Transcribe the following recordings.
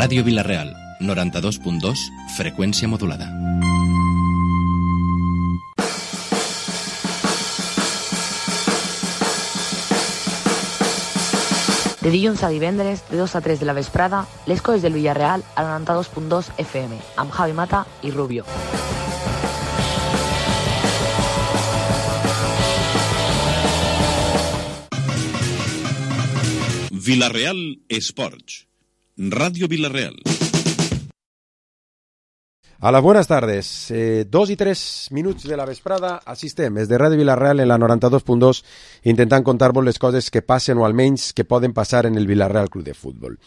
Ràdio Vila-real, 92.2, freqüència modulada. De dilluns a divendres, de 2 a 3 de la vesprada, les coses del Villarreal a 92.2 FM, amb Javi Mata i Rubio. Vila-real Esports. Radio Vila-real. Hola, buenas tardes. 2 y 3 minuts de la vesprada, assistem des de Ràdio Vila-real en la 92.2 intentant contar-vos les coses que passen o almenys que poden passar en el Vila-real Club de Futbol.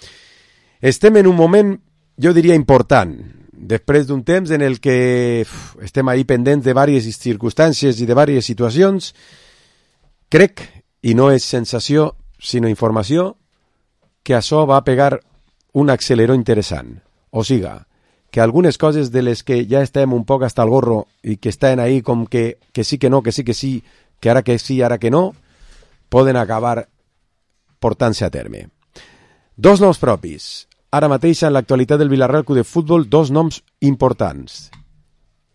Estem en un moment, jo diria, important, després d'un temps en el que estem ahí pendents de diverses circumstàncies i de diverses situacions. Crec, i no és sensació, sinó informació, que això va pegar un acceleró interessant. O siga, que algunes coses de les que ja estem un poc hasta el gorro i que estan ahí com que sí que no, que sí que sí, que ara que no, poden acabar portant-se a terme. Dos noms propis. Ara mateix en l'actualitat del Vila-real Club de Futbol, dos noms importants.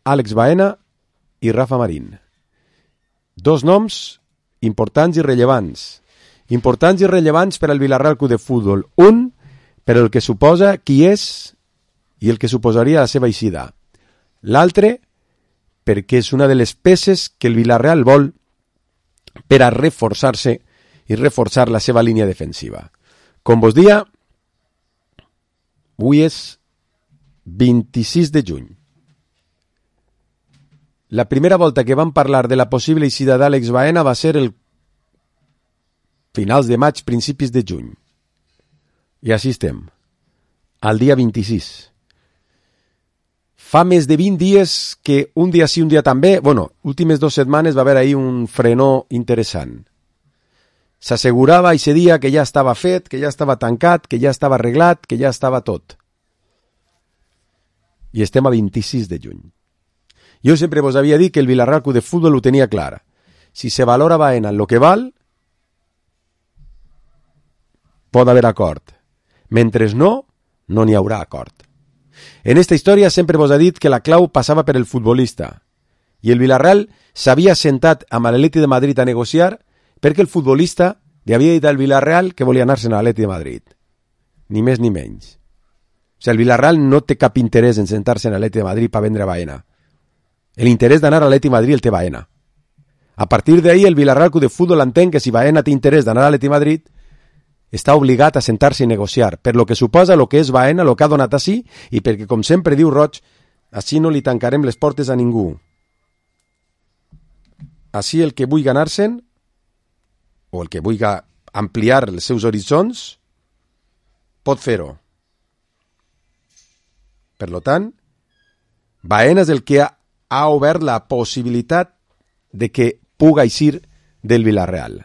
Àlex Baena i Rafa Marín. Dos noms importants i rellevants. Importants i rellevants per al Vila-real Club de Futbol. Un, per el que suposa qui és i el que suposaria la seva eixida. L'altre, perquè és una de les peces que el Vila-real vol per a reforçar-se i reforçar la seva línia defensiva. Com vos dia, avui és 26 de juny. La primera volta que vam parlar de la possible eixida d'Àlex Baena va ser el finals de maig, principis de juny. I així estem, al dia 26. Fa més de 20 dies que un dia sí, un dia també, últimes 2 setmanes va haver ahí un frenó interessant. S'assegurava aquest dia que ja estava fet, que ja estava tancat, que ja estava arreglat, que ja estava tot. I estem a 26 de juny. Jo sempre vos havia dit que el Vila-real Club de Futbol ho tenia clar. Si se valora Baena en lo que val, pot haver acord. Mentre no n'hi haurà acord. En esta història sempre vos ha dit que la clau passava per el futbolista i el Vila-real s'havia sentat amb l'Atleti de Madrid a negociar perquè el futbolista li havia dit al Vila-real que volia anar-se'n a l'Atleti de Madrid. Ni més ni menys. O sigui, el Vila-real no té cap interès en sentar-se en l'Atleti de Madrid per vendre Baena. L'interès d'anar a l'Atleti de Madrid el té Baena. A partir d'ahí el Vila-real Club de Futbol entén que si Baena té interès d'anar a l'Atleti de Madrid està obligat a sentar-se i negociar, per lo que suposa lo que és Baena, lo que ha donat així, i perquè, com sempre diu Roig, així no li tancarem les portes a ningú. Així el que vulgui anar-se'n, o el que vulgui ampliar els seus horitzons, pot fer-ho. Per tant, Baena és el que ha obert la possibilitat de que puga eixir del Vila-real.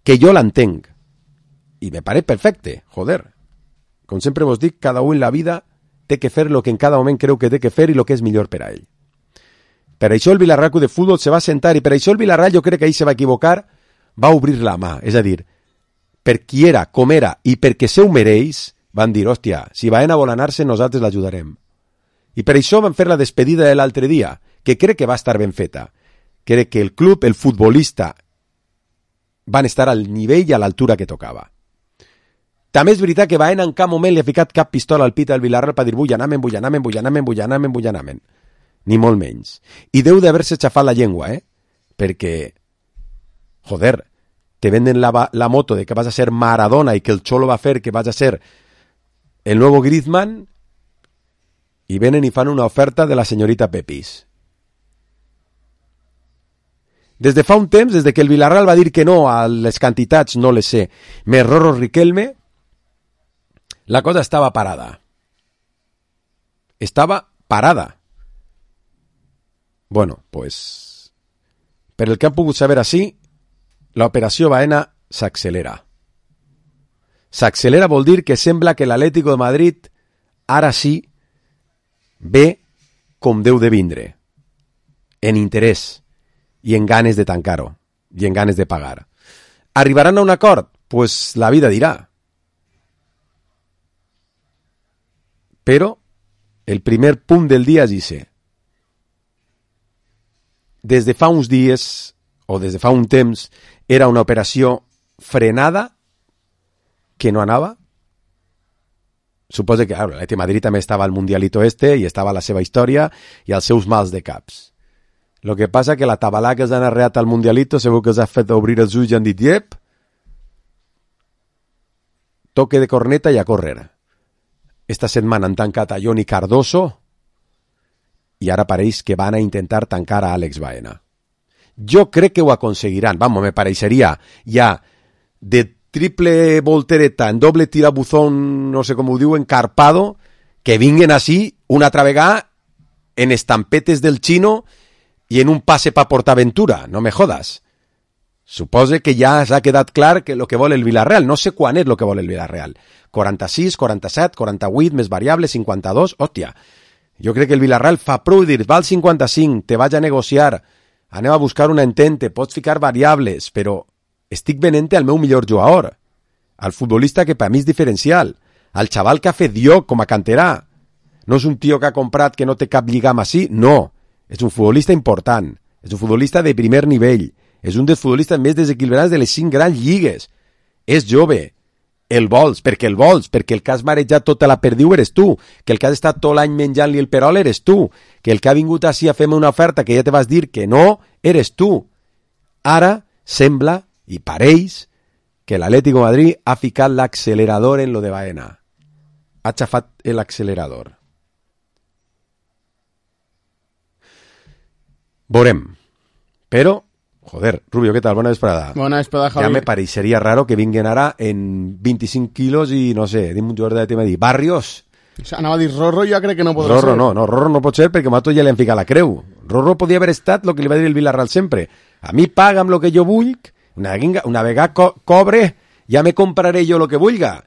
Que jo l'entenc. I me pareix perfecte, joder. Com sempre vos dic, cada un en la vida té que fer lo que en cada moment creu que té que fer i lo que és millor per a ell. Per això el Vila-real Club de Futbol se va sentar i per això el Vila-real, jo crec que ahir se va equivocar, va obrir la mà. És a dir, per qui era, com era i perquè se ho mereix, van dir, hòstia, si Baena vol anar-se, nosaltres l'ajudarem. I per això van fer la despedida de l'altre dia, que crec que va estar ben feta. Crec que el club, el futbolista, van estar al nivell i a l'altura que tocava. També és veritat que Baena en cap moment li ha ficat cap pistola al pit al Vila-real per dir vull anar-me'n. Ni molt menys. I deu d'haver-se xafat la llengua, perquè, joder, te venden la moto de que vas a ser Maradona i que el Cholo va fer que vas a ser el nuevo Griezmann i venen i fan una oferta de la senyorita Pepis. Des de fa un temps, des de que el Vila-real va dir que no a les quantitats, no les sé, més Rorro Riquelme, la cosa estava parada. Estava parada. Bueno, pues, per el que han pogut saber així, l'operació Baena s'accelera. S'accelera vol dir que sembla que l'Atlético de Madrid ara sí ve com deu de vindre, en interès i en ganes de tancar-ho, i en ganes de pagar. Arribaran a un acord? Pues la vida dirà. Però el primer punt del dia és ese. Des de fa uns dies, o des de fa un temps, era una operació frenada que no anava. Suposo que l'Atlètic de Madrid també estava al Mundialito i estava la seva història i els seus mals de caps. Lo que passa que la tabalà que els han arreat al Mundialito segur que els ha fet obrir els ulls i han dit «Yep, toque de corneta i a córrer». Esta setmana han tancat a Johnny Cardoso i ara pareix que van a intentar tancar a Àlex Baena. Jo crec que ho aconseguiran. Vamos, me pareixeria ja de triple voltereta en doble tirabuzón, no sé com ho diu, encarpado, que vinguen així una altra vegada en estampetes del Chino i en un passe pa PortAventura. No me jodas. Supose que ja s'ha quedat clar que el que vol el Villarreal. No sé quan és el que vol el Villarreal. 46, 47, 48, més variables, 52... Hòstia, jo crec que el Villarreal fa prou dir, val 55, te vaig a negociar, anem a buscar una entente, pots ficar variables, però estic venent al meu millor jugador, al futbolista que per mi és diferencial, al xaval que ha fet lloc com a canterà. No és un tio que ha comprat que no té cap lligam així, no. És un futbolista important, és un futbolista de primer nivell, és un dels futbolistes més desequilibrats de les 5 grans lligues. És jove, el vols, perquè el que has marejat tota la perdiu eres tu, que el que has estat tot l'any menjant-li el perol eres tu, que el que ha vingut així a fer-me una oferta que ja te vas dir que no, eres tu. Ara sembla, i pareix, que l'Atlético de Madrid ha ficat l'accelerador en lo de Baena. Ha xafat l'accelerador. Veurem. Però, joder, Rubio, ¿qué tal? Buena vesprada. Buena vesprada, Javi. Ya me parecería raro que vinguen ara en 25 quilos i, no sé, dim un jugador de tema de dir, Barrios. O sea, anava a dir Rorro, jo crec que no podrà Rorro ser. no, Rorro no pot ser perquè Mato ja li han ficat la creu. Rorro podia haver estat el que li va dir el Villarreal sempre. A mi paga'm lo que jo vull, una vegada cobre, ja me compraré jo lo que vulga.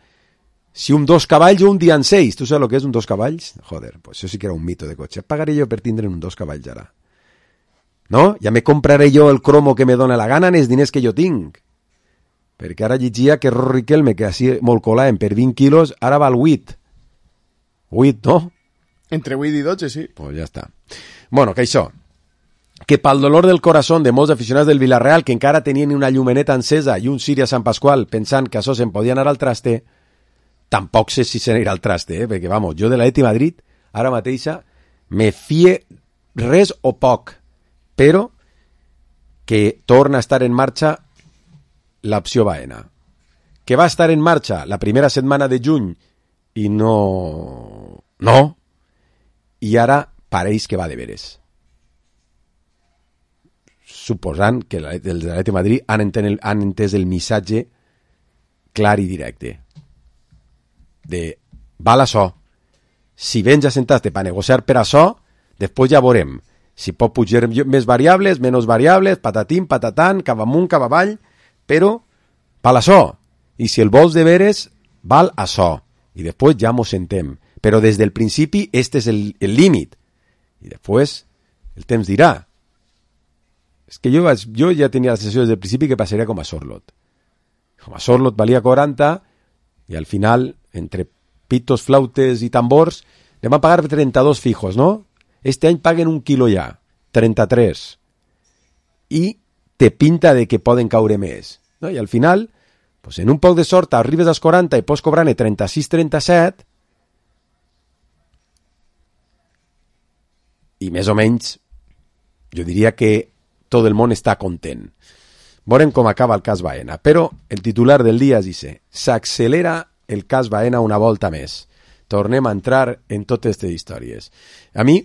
Si un 2 cavalls o un dia en 6, tu saps lo que és un 2 cavalls? Joder, pues això sí que era un mito de cotxe. Pagaré jo per tindre un 2 cavalls ara. No? Ja me compraré jo el cromo que me dóna la gana en els diners que jo tinc. Perquè ara llegia que Rorro Riquelme, que així molt colàvem per 20 quilos, ara val 8. 8, no? Entre 8 i 12, sí. Pues ja està. Bueno, que això, que pel dolor del corazón de molts aficionats del Villarreal que encara tenien una llumeneta encesa i un ciri a Sant Pasqual pensant que això se'n podia anar al traste, tampoc sé si se n'anirà al traste, perquè, vamos, jo de l'Atlètic de Madrid, ara mateixa, me fie res o poc, però que torna a estar en marxa l'opció Baena. Que va estar en marxa la primera setmana de juny i no, i ara pareix que va de veres. Suposant que els de l'Atlètic de Madrid han entès el missatge clar i directe de val això, si vens a sentar-te per negociar per això, després ja veurem si pot pujar més variables, menys variables, patatim, patatan, cap amunt, cap avall, però val això, i si el vols de veres val això, i després ja mos sentem, però des del principi este és el límit, i després el temps dirà. És que jo ja tenia la sensació des del principi que passaria com a Sorlot. Com a Sorlot valia 40 i al final, entre pitos, flautes i tambors, li van pagar 32 fijos, no? Este any paguen un quilo ja, 33. I te pinta de que poden caure més. No? I al final, pues en un poc de sort, arribes als 40 i pots cobrar-ne 36-37 i més o menys jo diria que tot el món està content. Veurem com acaba el cas Baena, però el titular del dia és dice, s'accelera el cas Baena una volta més. Tornem a entrar en totes aquestes històries. A mi,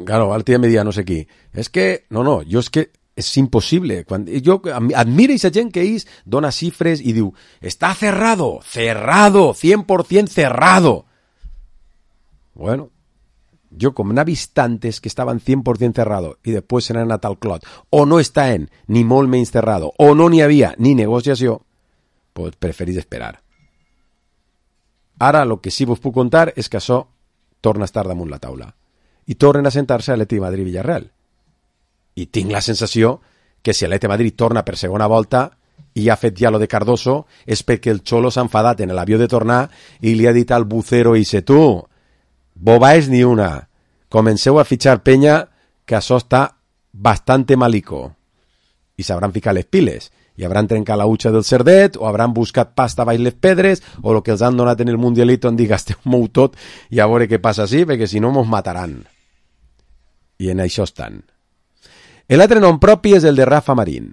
claro, l'altre dia me dia no sé qui, és que, no, jo és que és impossible. Jo admiro aquesta gent que ells dona xifres i diu, està cerrado, 100% cerrado. Bueno, yo como n'ha vist tantes que estaban 100% cerrado y después se n'han anat al clot, o no estaven ni molt menys cerrado, o no n'hi havia ni negociació, pues preferís esperar. Ara el que sí vos puc contar és que això torna a estar damunt la taula i tornen a sentar-se a l'Atlètic de Madrid Villarreal. I tinc la sensació que si l'Atlètic de Madrid torna per segona volta i ha fet ja lo de Cardoso, és perquè el Xolo s'ha enfadat en l'avió de tornar i li ha dit al bucero i dice, tu, bobáis ni una, comenceu a fitxar penya que això està bastante malico. I s'hauran ficat les piles. I hauran trencat la utxa del cerdet, o hauran buscat pasta baix les pedres, o el que els han donat en el Mundialito han dit gasteu-m'ho tot i a veure què passa així, perquè si no mos mataran. I en això estan. L'altre nom propi és el de Rafa Marín,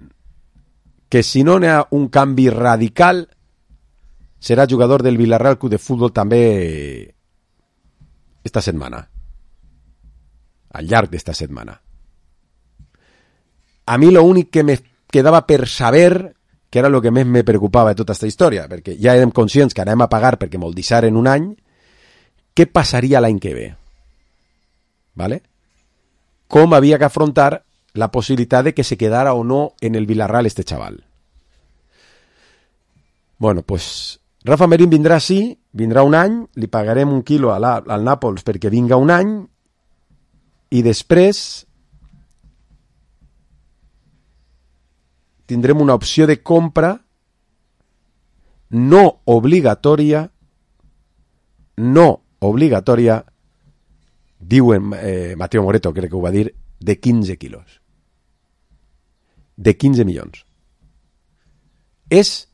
que si no n'hi ha un canvi radical, serà jugador del Villarreal Club de Futbol també esta setmana. Al llarg d'esta setmana. A mi l'únic que me quedava per saber, que era el que més me preocupava de tota aquesta història, perquè ja érem conscients que anem a pagar perquè me'l deixaren un any, què passaria l'any que ve? ¿Vale? Com havia que afrontar la possibilitat de que se quedara o no en el Villarreal este chaval. Bueno, pues Rafa Marín vindrà sí, vindrà un any, li pagarem un quilo al Nàpols perquè vinga un any i després tindrem una opció de compra no obligatòria, diuen Mateo Moreto, crec que ho va dir, de 15 quilos. De 15 milions. És,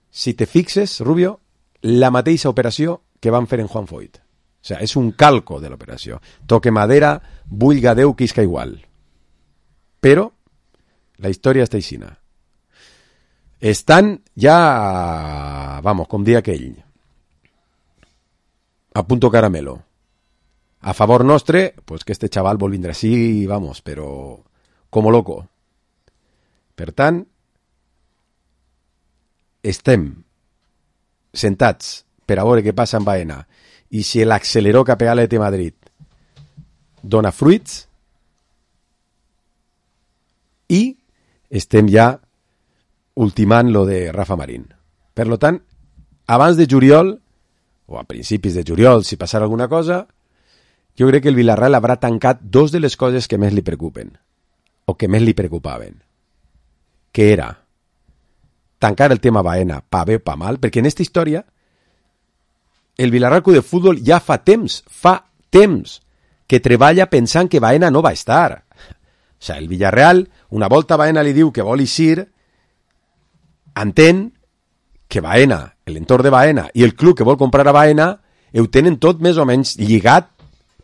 si te fixes, Rubio, la mateixa operació que van fer en Juan Foyt. O sea, és un calco de l'operació. Toque madera, vulga Déu que isca igual. Però la història està aixina. Estan ja, vamos, com dia aquell, a punto caramelo. A favor nostre, pues que este chaval vol vindre així, vamos, però como loco. Per tant, estem sentats per a veure què passa en Baena i si l'acceleró cap a l'Atlètic Madrid dona fruits i estem ja ultimant lo de Rafa Marín. Per lo tant, abans de juliol, o a principis de juliol, si passara alguna cosa, jo crec que el Villarreal haurà tancat dos de les coses que més li preocupen, o que més li preocupaven, que era tancar el tema Baena, pa bé o pa mal, perquè en aquesta història el Villarreal Club de Futbol ja fa temps que treballa pensant que Baena no va estar. O sigui, el Villarreal, una volta Baena li diu que vol eixir, entén que Baena, l'entorn de Baena i el club que vol comprar a Baena ho tenen tot més o menys lligat.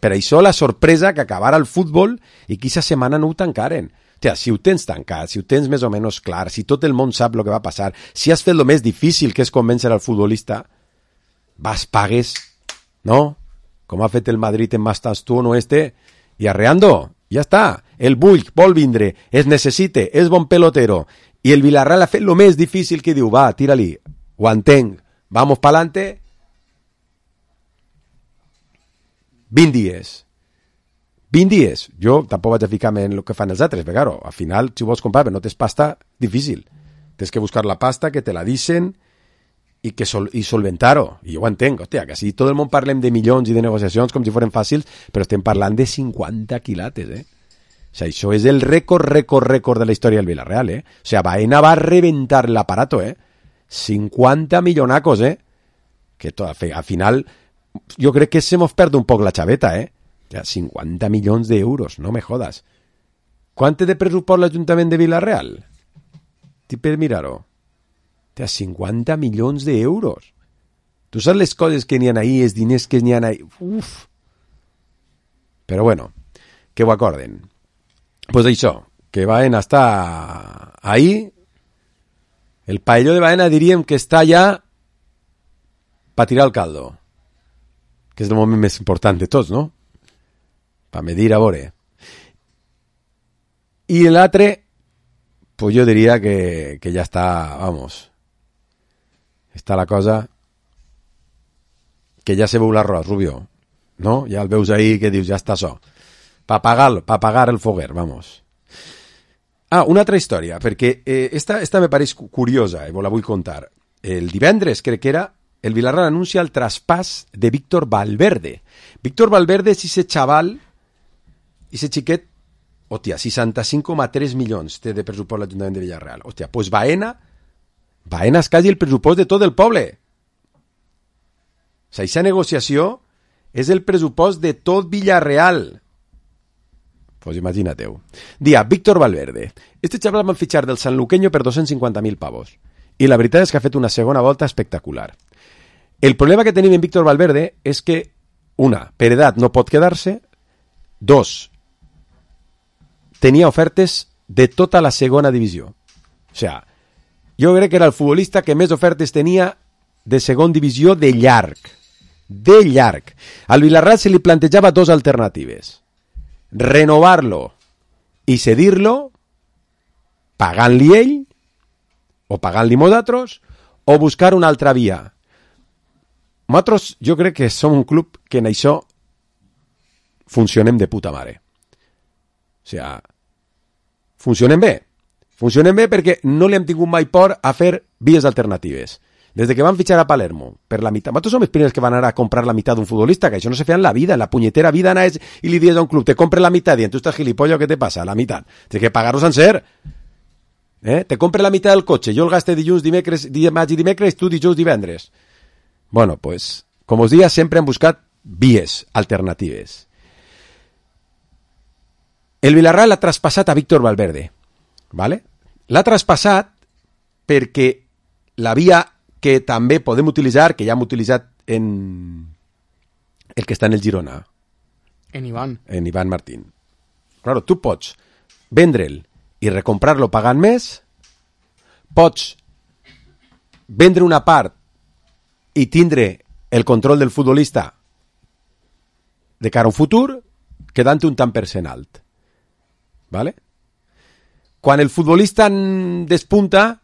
Per això la sorpresa que acabara el futbol i que aquesta setmana no ho tancaren. O sigui, si ho tens tancat, si ho tens més o menys clar, si tot el món sap el que va passar, si has fet el més difícil que és convèncer al futbolista, vas, pagues, no? Com ha fet el Madrid en Mastas tu no este, i arreando, ja està. El Bull vol vindre, es necessite, és bon pelotero, i el Villarreal ha fet el més difícil que diu, va, tira-li, ho entenc, vamos pa'lante, 20 dies. 20 dies. Jo tampoc vaig a ficar-me en el que fan els altres, perquè, claro, al final, si vols comprar, però no tens pasta, difícil. Tens que buscar la pasta, que te la dicen, i solventar-ho. I jo ho entenc, hòstia, que si tot el món parlem de milions i de negociacions com si foren fàcils, però estem parlant de 50 quilates, O sigui, això és el rècord de la història del Villarreal, O sigui, Baena va reventar l'aparato, 50 millonacos, Que al final, jo crec que se mos perd un poc la xaveta, Ja, 50 milions d'euros, no me jodas. Quant té de pressupost l'Ajuntament de Villarreal? T'hi per mirar-ho. 50 milions d'euros. Tu saps les coses que n'hi ha ahí, els diners que n'hi ha ahí? Uf. Però bueno, que ho acorden. Pues això, que Baena està ahí. El paelló de Baena diríem que està ja per tirar el caldo. Que és el moment més important de tots, no? Per medir a veure. I l'altre, pues jo diria que ja està, vamos, està la cosa que ja se veu l'arròs, Rubio, no? Ja el veus ahí que dius, ja està això. Pa pagar el foguer, vamos. Ah, una altra història, perquè esta me pareix curiosa, vos la vull contar. El divendres, crec que era, el Villarreal anuncia el traspàs de Víctor Valverde. Víctor Valverde és ese xaval, ese xiquet, hòstia, 65,3 milions té de pressupost l'Ajuntament de Villarreal. Hòstia, pues Baena Baenas quasi el pressupost de tot el poble. O sigui, aquesta negociació és el pressupost de tot Villarreal. Pues imagínateu. Dia, Víctor Valverde. Este xaval van fitxar del sanluqueño per 250.000 pavos. I la veritat és que ha fet una segona volta espectacular. El problema que tenim en Víctor Valverde és que, una, per edat no pot quedar-se, dos, tenia ofertes de tota la segona divisió. O sigui, jo crec que era el futbolista que més ofertes tenia de segona divisió de llarg. De llarg. Al Villarreal se li plantejava dos alternatives. Renovar-lo i cedir-lo pagant-li ell o pagant-li nosaltres o buscar una altra via. Nosaltres jo crec que som un club que en això funcionem de puta mare. O sigui, funcionem bé perquè no li hem tingut mai por a fer vies alternatives. Des de que van fitxar a Palermo per la meitat, nosaltres som els primers que van anar a comprar la meitat d'un futbolista, que això no se feia en la vida, en la punyetera vida anaves i li dius a un club, te compre la meitat, i tu estàs gilipollo, què te passa? La meitat. Tens que pagar-ho sencer. Te compre la meitat del cotxe, jo el gaste dilluns, dimecres, tu dijous, divendres. Bueno, pues, com us diia, sempre hem buscat vies alternatives. El Villarreal l'ha traspassat a Víctor Valverde, ¿vale? L'ha traspassat perquè la via que també podem utilitzar, que ja hem utilitzat en el que està en el Girona. En Iván. En Iván Martín. Claro, tu pots vendre'l i recomprar-lo pagant més, pots vendre una part i tindre el control del futbolista de cara a un futur, quedant un tant per cent alt. ¿Vale? Quan el futbolista despunta,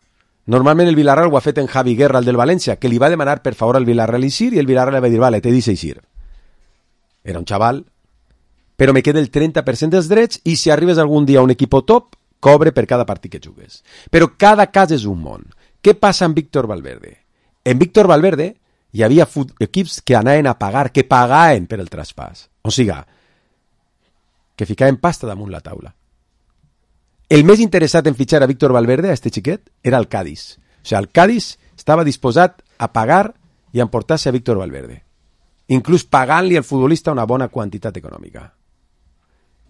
normalment el Villarreal ho ha fet en Javi Guerra, el del València, que li va demanar per favor al Villarreal eixir i el Villarreal li va dir, vale, te deixo eixir. Era un xaval, però me queda el 30% dels drets i si arribes algun dia a un equip top, cobre per cada partit que jugues. Però cada cas és un món. Què passa amb Víctor Valverde? En Víctor Valverde hi havia equips que anaven a pagar, que pagaven per el traspàs. O sigui, que ficaven pasta damunt la taula. El més interessat en fitxar a Víctor Valverde, a este xiquet, era el Cádiz. O sigui, el Cádiz estava disposat a pagar i a emportar-se a Víctor Valverde. Inclús pagant-li al futbolista una bona quantitat econòmica.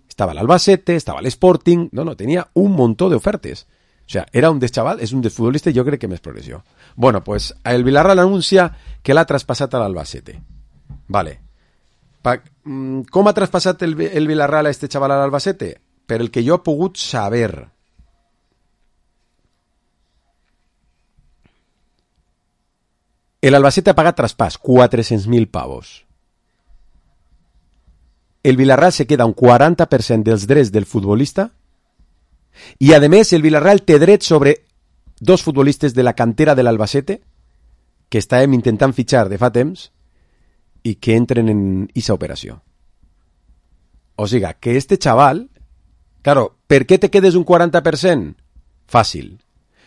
Estava l'Albacete, estava l'Sporting... No, tenia un muntó d'ofertes. O sigui, era un deschaval, és un dels futbolistes, jo crec que més progressió. Bueno, pues el Villarreal anuncia que l'ha traspassat a l'Albacete. Vale. Com ha traspassat el Villarreal a este xaval a l'Albacete? Per el que jo he pogut saber. L'Albacete ha pagat traspàs, 400.000 pavos. El Villarreal se queda un 40% dels drets del futbolista i, a més, el Villarreal té dret sobre dos futbolistes de la cantera de l'Albacete que estàvem intentant fitxar de fa temps i que entren en aquesta operació. O sigui, que este xaval... Claro, ¿per qué te quedes un 40%? Fàcil.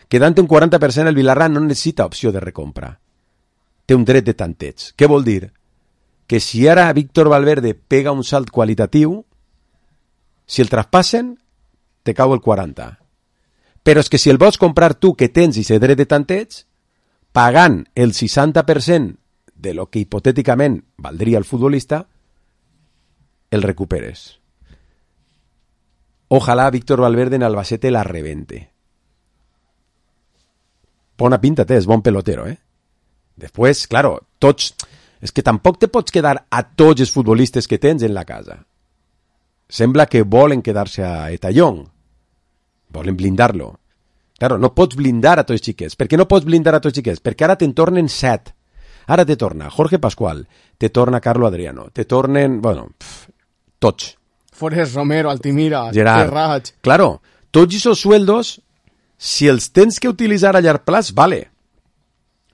Quedant un 40% el Villarreal no necessita opció de recompra. Té un dret de tanteig. Què vol dir? Que si ara Víctor Valverde pega un salt qualitatiu, si el traspassen, te cau el 40. Però és que si el vols comprar tu, que tens i dret de tanteig, pagant el 60% de lo que hipotèticament valdria el futbolista, el recuperes. Ojalá Víctor Valverde en Albacete la rebente. Bona pinta té, és bon pelotero, Després, claro, tots... És que tampoc te pots quedar a tots els futbolistes que tens en la casa. Sembla que volen quedar-se a Etallón. Volen blindar-lo. Claro, no pots blindar a tots els xiquets. Per què no pots blindar a tots els xiquets? Perquè ara te'n tornen 7. Ara te torna Jorge Pascual, te torna Carlo Adriano, te tornen... Bueno, tots. Forest Romero, Altimira, Gerard. Terrach. Claro, tots esos sueldos, si els tens que utilitzar a llarg plaç, vale.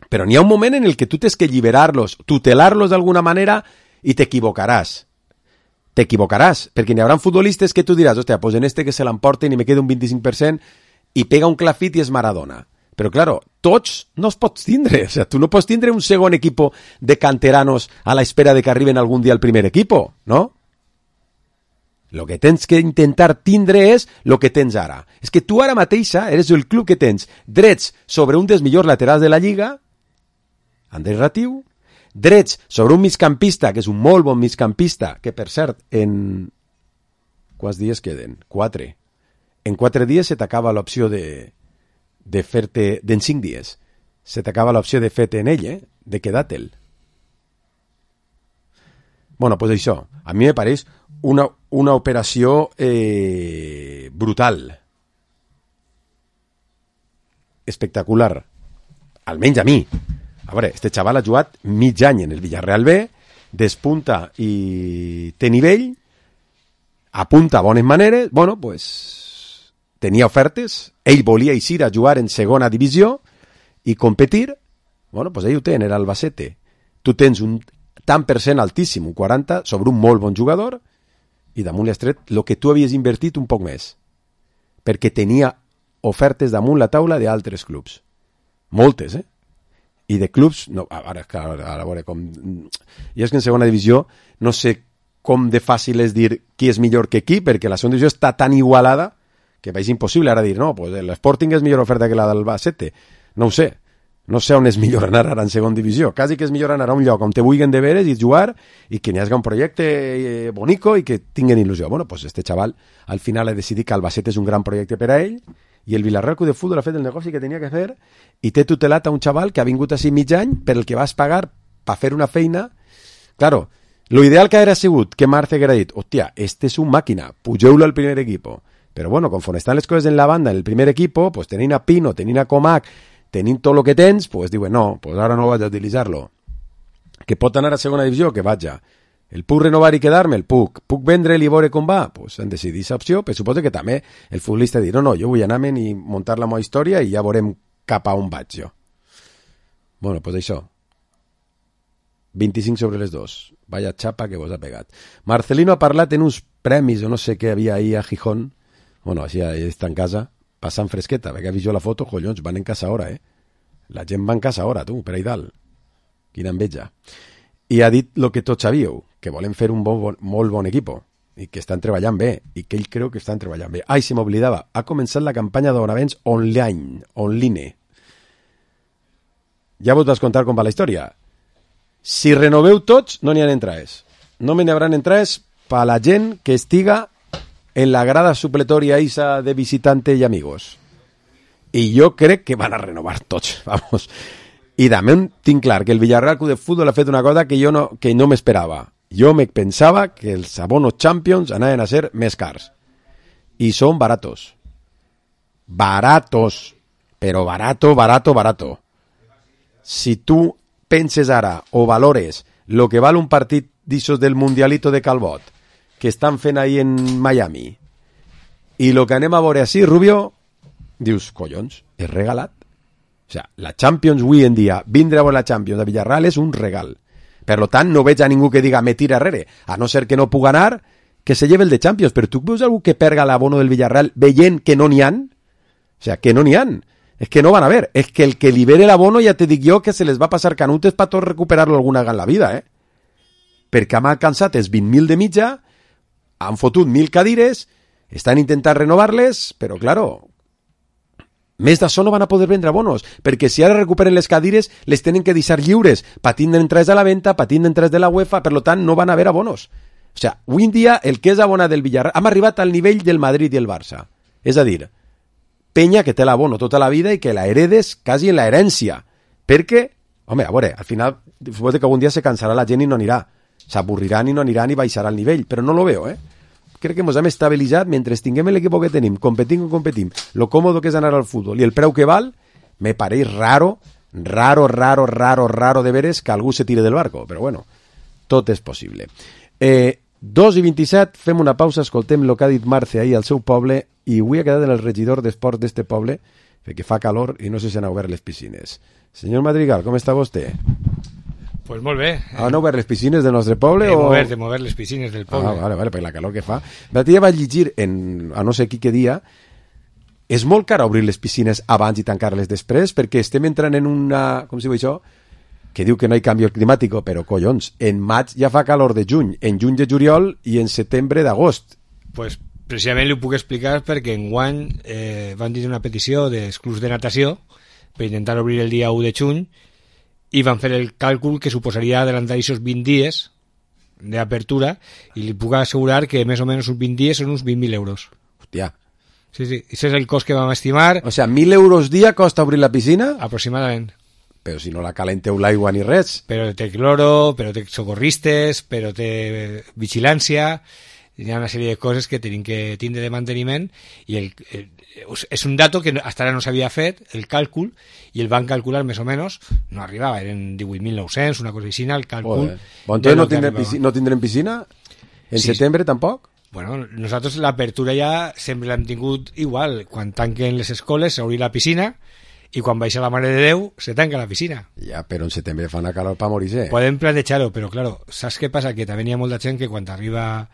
Però n'hi ha un moment en el que tu tens que alliberar-los, tutelar-los d'alguna manera i t'equivocaràs. T'equivocaràs, perquè n'hi haurà futbolistes que tu diràs, hòstia, pues en este que se l'emporten i me queda un 25% i pega un clafit i és Maradona. Però, claro, tots no els pots tindre. O sea, tu no pots tindre un segon equipo de canteranos a la espera de que arriben algun dia al primer equipo, ¿no? El que tens que intentar tindre és el que tens ara. És que tu ara mateixa eres el club que tens drets sobre un dels millors laterals de la Lliga, Andrés Ratiu, drets sobre un migcampista, que és un molt bon migcampista, que per cert, en... Quants dies queden? 4. En 4 dies se t'acaba l'opció de fer-te... En 5 dies se t'acaba l'opció de fer-te en ell, de quedar-te'l. Bueno, pues això, a mi me pareix una operació brutal. Espectacular. Almenys a mi. A veure, este xaval ha jugat mig any en el Villarreal B, despunta i té nivell, apunta bones maneres, bueno, pues tenia ofertes, ell volia eixir a jugar en segona divisió i competir, bueno, pues ell ho té en l'Albacete. Tu tens un tant per cent altíssim, un 40, sobre un molt bon jugador, i damunt l'has tret el que tu havies invertit un poc més, perquè tenia ofertes damunt la taula d'altres clubs. Moltes, I de clubs... No, ara, a veure, com... I és que en segona divisió no sé com de fàcil és dir qui és millor que qui, perquè la segona divisió està tan igualada que és impossible ara dir, no, pues l'Sporting és millor oferta que la del Albacete. No ho sé. No sé on és millor anar ara en segona divisió. Quasi que és millor anar a un lloc on te vulguin de veres i jugar i que n'hi hagi un projecte bonico i que tinguin il·lusió. Bueno, pues este xaval al final ha decidit que Albacete és un gran projecte per a ell i el Villarreal Club de Futbol ha fet el negoci que tenia que fer i té tutelat a un xaval que ha vingut així mig any per el que vas pagar per fer una feina. Claro, lo ideal que hauria sigut que Marce haguera dit, hòstia, este és un màquina, pugeu-lo al primer equipo. Però bueno, conforme estan les coses en la banda, en el primer equipo, pues tenint a Pino, tenint a Comac, tenint tot el que tens, pues diuen, no, pues ara no vaig a utilitzar-lo. Que pot anar a segona divisió, que vaja. El puc renovar i quedar-me? El puc. Puc vendre-li i veure com va? Pues han decidit aquesta opció, però suposo que també el futbolista dir, no, jo vull anar-me'n i muntar la meva història i ja veurem cap a on vaig jo. Bueno, pues això. 25 sobre les 2. Vaya xapa que vos ha pegat. Marcelino ha parlat en uns premis, o no sé què havia ahir a Gijón. Bueno, així està en casa, passant fresqueta, perquè ha vist jo la foto, collons, van en casa ara, La gent va en casa ara, tu, per ahí dalt. Quina enveja. I ha dit el que tots sabíeu, que volen fer un molt bon equip, i que estan treballant bé, i que ell creu que estan treballant bé. Ai, se m'oblidava, ha començat la campanya d'abonaments online. Ja vos vas contar com va la història. Si renoveu tots, no n'hi ha entrades. No me n'hi haurà entrades per la gent que estiga en la grada supletoria isa de visitante y amigos. I jo crec que van a renovar tots, vamos. I també tinc clar que el Villarreal Club de Futbol ha fet una cosa que no m'esperava. Jo me pensava que els abonos Champions anaven a ser més cars. I són baratos. Baratos. Però barato. Si tu penses ara o valores lo que val un partit d'ixos del Mundialito de Calbot que estan fent ahí en Miami i lo que anem a veure així, Rubio, dius, collons, és regalat. O sea, la Champions avui en dia, vindre a veure la Champions de Villarreal és un regal. Per lo tant, no veig a ningú que diga me tira arrere, a no ser que no pugui anar, que se lleve el de Champions. Però tu veus algú que perga l'abono del Villarreal veient que no n'hi han? O sea, que no n'hi han. És que no van a ver. És que el que libere l'abono ja te dic jo que se les va passar canutes per tot recuperar-lo alguna vegada en la vida, Perquè m'ha cansat els 20.000 de mitja, han fotut 1.000 cadires, estan intentant renovar-les, però, claro, més d'això no van a poder vendre abonos, perquè si ara recuperen les cadires, les tenen que deixar lliures, patint d'entrades a la venda, patint d'entrades de la UEFA, per tant, no van a haver abonos. O sea, avui en dia, el que és abonat del Villarreal, hem arribat al nivell del Madrid i el Barça. És a dir, penya que té l'abono tota la vida i que la heredes quasi en la herència. Perquè, home, a veure, al final, suposo que algun dia se cansarà la gent i no anirà. S'avorriran i no aniran i baixarà el nivell, però no lo veo, Crec que ens hem estabilitzat mentre tinguem l'equip que tenim, competim, lo còmodo que és anar al futbol i el preu que val, me pareix raro de veres que algú se tire del barco, però bueno, tot és possible. 2:27, fem una pausa, escoltem el que ha dit Marce ahir al seu poble i avui ha quedat en el regidor d'esports d'este poble perquè fa calor i no sé si han obert les piscines. Senyor Madrigal, com està vostè? Pues molt bé. Han obert les piscines del nostre poble? De mover les piscines del poble. Vale, per la calor que fa. L'altre dia vaig llegir, a no sé què dia, és molt car obrir les piscines abans i tancar-les després, perquè estem entrant en una, com si diu això, que diu que no hi canvi climàtic, però collons, en maig ja fa calor de juny, en juny de juliol i en setembre d'agost. Pues precisament li ho puc explicar perquè enguany van dir una petició dels clubs de natació per intentar obrir el dia 1 de juny i van fer el càlcul que suposaria adelantar aquests 20 dies d'apertura i li puc assegurar que més o menys uns 20 dies són uns 20.000 euros. Hòstia. Sí, ese és el cost que vam estimar. O sea, 1.000 euros dia costa obrir la piscina? Aproximadament. Però si no la calenteu l'aigua ni res. Però té cloro, però té socorristes, però té vigilància, hi ha una sèrie de coses que tenim que tindre de manteniment i és un dato que hasta ara no s'havia fet, el càlcul, i el van calcular més o menys, no arribava, eren 18.900, una cosa així, el càlcul... Bon, entonces no tindrem piscina? En setembre tampoc? Bueno, nosaltres l'apertura ja sempre l'hem tingut igual. Quan tanquen les escoles s'obri la piscina i quan baixa la Mare de Déu se tanca la piscina. Ja, però en setembre fa una calor per morir-se. Podem plantejar-ho, però claro, saps què passa? Que també hi ha molta gent que quan arriba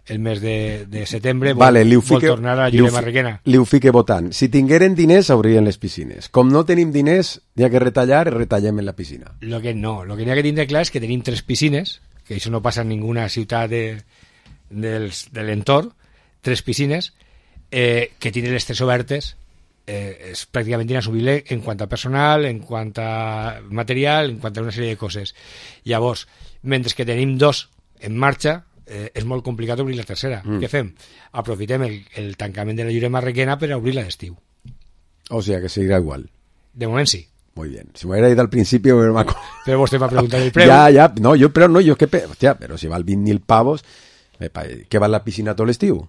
el mes de setembre vol tornar a la Llurema Requena. Li ho fique votant. Si tingueren diners, obrien les piscines. Com no tenim diners, hi ha que retallar, retallem en la piscina. Lo que n'hi ha que tindre clar és que tenim 3 piscines, que això no passa en ninguna ciutat de l'entorn, 3 piscines, que tenen les 3 obertes, és pràcticament inassumible en quant a personal, en quant a material, en quant a una sèrie de coses. Llavors, mentre que tenim 2 en marxa, és molt complicat obrir la tercera. Què fem? Aprofitem el tancament de la Llurema Requena per obrir la d'estiu. O sea que seguirà igual. De moment sí. Muy bien. Si m'hubiera ido al principio... Però vostè m'ha preguntat el preu. Ja. No, jo és que... Hòstia, però si val 20.000 pavos... Què val la piscina tot l'estiu?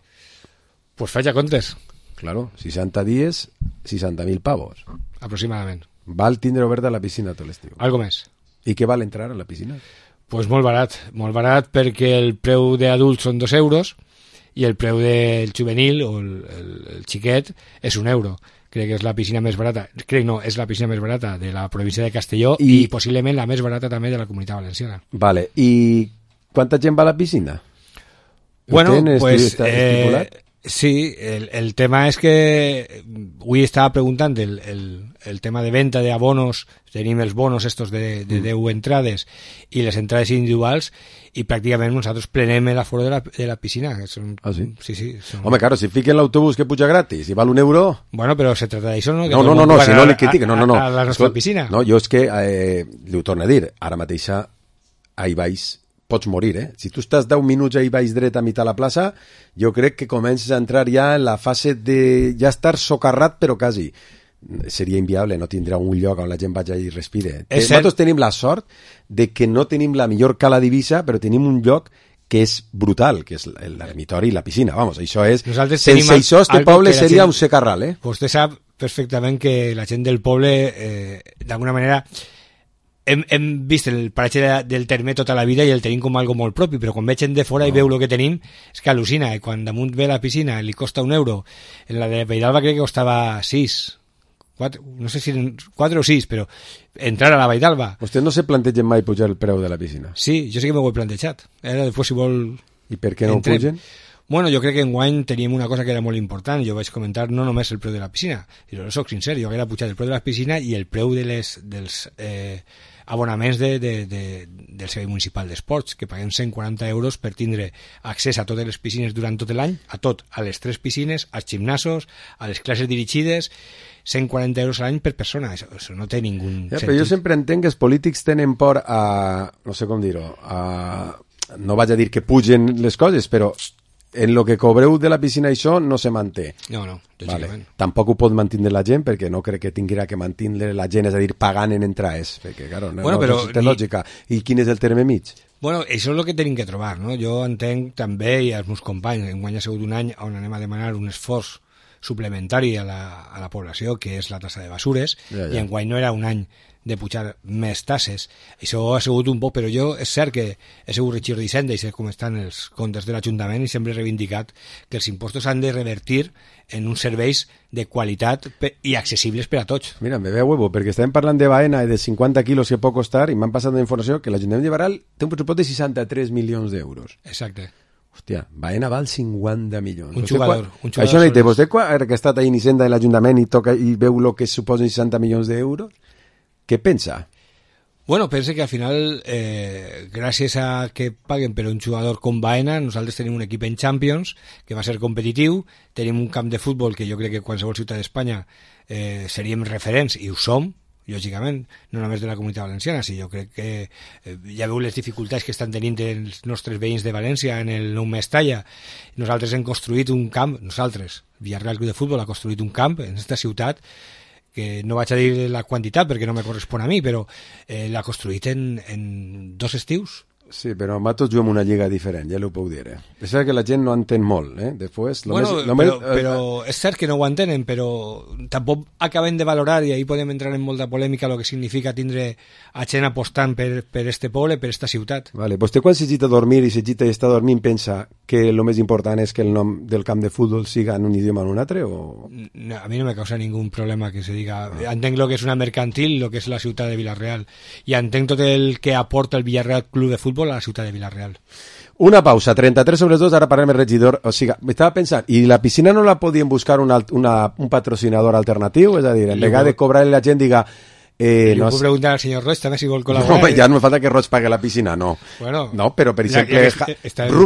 Pues faig a comptes. Claro, 60 dies, 60.000 pavos. Aproximadament. Val tindre oberta la piscina tot l'estiu. Algo més. I què val entrar a la piscina? Pues molt barat perquè el preu d'adults són 2 euros i el preu del juvenil o el xiquet és 1 euro. Crec que és la piscina més barata. És la piscina més barata de la província de Castelló i possiblement la més barata també de la Comunitat Valenciana. Vale, i quanta gent va a la piscina? Bueno, pues sí, el tema és que avui estava preguntant el tema de venda d'abonos. Tenim els bonos estos de 10 entrades i les entrades individuals i pràcticament nosaltres plenem l'aforo de la piscina. Sí? Sí. Home, claro, si fiquen l'autobús que puja gratis i val 1 euro... Bueno, però se trata d'això, no? No, si no li critica, no. A la nostra piscina. No, jo és que, li ho torno a dir, ara mateixa ahí baix pots morir, Si tu estàs 10 minuts ahí baix dret a mitjà la plaça, jo crec que comences a entrar ja en la fase de ja estar socarrat, però quasi. Seria inviable, no tindrà un lloc on la gent vagi i respire. Nosaltres tenim la sort de que no tenim la millor cala d'Eivissa, però tenim un lloc que és brutal, que és l'ermitori i la piscina. Vamos, això és... Sense això, este poble seria un secarral, Vostè sap perfectament que la gent del poble, d'alguna manera... Hem vist el paratge del terme tota la vida i el tenim com algo molt propi, però quan veig gent de fora i veu el que tenim, és que al·lucina. I quan damunt ve la piscina li costa 1 euro, en la de Vaidalba crec que costava 6, 4, no sé si 4 o 6, però entrar a la Vaidalba... Vostè no se planteja mai pujar el preu de la piscina? Sí, jo sí que m'ho he plantejat. Ara després, si vol... I per què no ho pugen? Bueno, jo crec que enguany teníem una cosa que era molt important. Jo vaig comentar no només el preu de la piscina, jo soc sincer, jo hauria pujat el preu de la piscina i el preu dels abonaments del Servei Municipal d'Esports, que paguem 140 euros per tindre accés a totes les piscines durant tot l'any, a les 3 piscines, als gimnasos, a les classes dirigides, 140 euros a l'any per persona. Això no té ningú sentit. Però jo sempre entenc que els polítics tenen por a... no sé com dir-ho, no vaig a dir que pugen les coses, però en lo que cobreu de la piscina això no se manté. No, lògicament. Tampoc ho pot mantenir la gent, perquè no crec que tinguera que mantenir la gent, és a dir, pagant en entrades, perquè, claro, no té lògica. I quin és el terme mig? Bueno, això és el que tenim que trobar, no? Jo entenc també, i els meus companys, enguany ha sigut un any on anem a demanar un esforç suplementari a la població, que és la tassa de basures, i enguany no era un any de pujar més tasses. Això ha sigut un poc, però jo és cert que he sigut regidor d'Hisenda i sé com estan els comptes de l'Ajuntament i sempre he reivindicat que els impostos han de revertir en uns serveis de qualitat i accessibles per a tots. Mira, me ve a huevo, perquè estàvem parlant de Baena i de 50 quilos que pot costar i m'han passat la informació que l'Ajuntament de Baral té un pressupost de 63 milions d'euros. Exacte. Hòstia, Baena val 50 milions. Un jugador. Això no hi té. Vostè que ha estat ahí en Hisenda de l'Ajuntament i veu el que suposen 60 milions d'euros? Què pensa? Bueno, pense que al final, gràcies a que paguen per un jugador com Baena, nosaltres tenim un equip en Champions que va ser competitiu, tenim un camp de futbol que jo crec que qualsevol ciutat d'Espanya seríem referents, i ho som, lògicament, no només de la Comunitat Valenciana, si jo crec que ja veu les dificultats que estan tenint els nostres veïns de València en el nou Mestalla. Nosaltres hem construït un camp, Villarreal Club de Futbol ha construït un camp en aquesta ciutat que no vaig a dir la quantitat perquè no me correspon a mi, però l'ha construït en 2 estius. Sí, però nosaltres juguem una lliga diferent, ja l'ho puc dir. És cert que la gent no entén molt, Després, però és cert que no ho entenen, però tampoc acabem de valorar, i ahí podem entrar en molta polèmica, el que significa tindre a gent apostant per este poble, per esta ciutat. Vale, vostè quan s'agita a dormir i s'agita i està dormint pensa que el més important és que el nom del camp de futbol siga en un idioma o en un altre? O... No, a mi no me causa ningún problema que se diga. Entenc lo que és una mercantil, lo que és la ciutat de Vila-real, i entenc tot el que aporta el Villarreal Club de Futbol a la ciutat de Vila-real. Una pausa, 33/2, ara parlem el regidor. O sigui, m'estava pensant, i la piscina no la podien buscar un patrocinador alternatiu? És a dir, en vegada de cobrar la gent diga... no puc preguntar al senyor Roig també si vol col·laborar. No, ja no me falta que Roig pague la piscina, no. Bueno, no, però per exemple,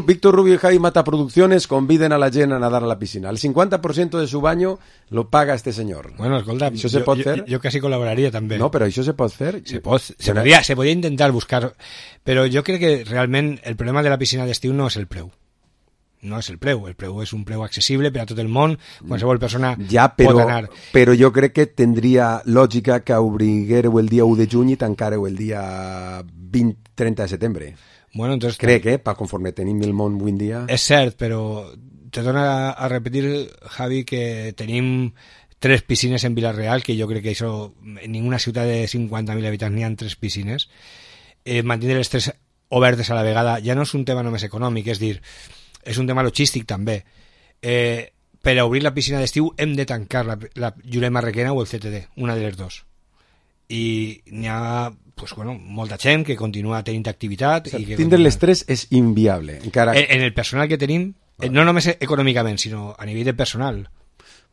Víctor Rubio y Javi Mata Producciones conviden a la gent a nadar a la piscina. El 50% de su baño lo paga este señor. Bueno, escolta, ¿Això se pot fer? Jo quasi col·laboraria també. No, però això se pot fer? Se podia intentar buscar, però jo crec que realment el problema de la piscina d'estiu no és el preu. No és el preu és un preu accessible per a tot el món, qualsevol persona pot anar. Però jo crec que tindria lògica que obriguéreu el dia 1 de juny i tancareu el dia 30 de setembre. Bueno, entonces, crec, conforme tenim el món avui en dia... És cert, però te dona a repetir, Javi, que tenim 3 piscines en Vila-real, que jo crec que això, en ninguna ciutat de 50.000 habitants n'hi ha 3 piscines. Mantindre les 3 obertes a la vegada ja no és un tema només econòmic, és dir, és un tema logístic també. Per a obrir la piscina d'estiu hem de tancar la Jurema Requena o el CTD, una de les 2. I n'hi ha molta gent que continua tenint activitat. O sigui, tindre les 3 és inviable. Encara... En el personal que tenim, no només econòmicament, sinó a nivell de personal.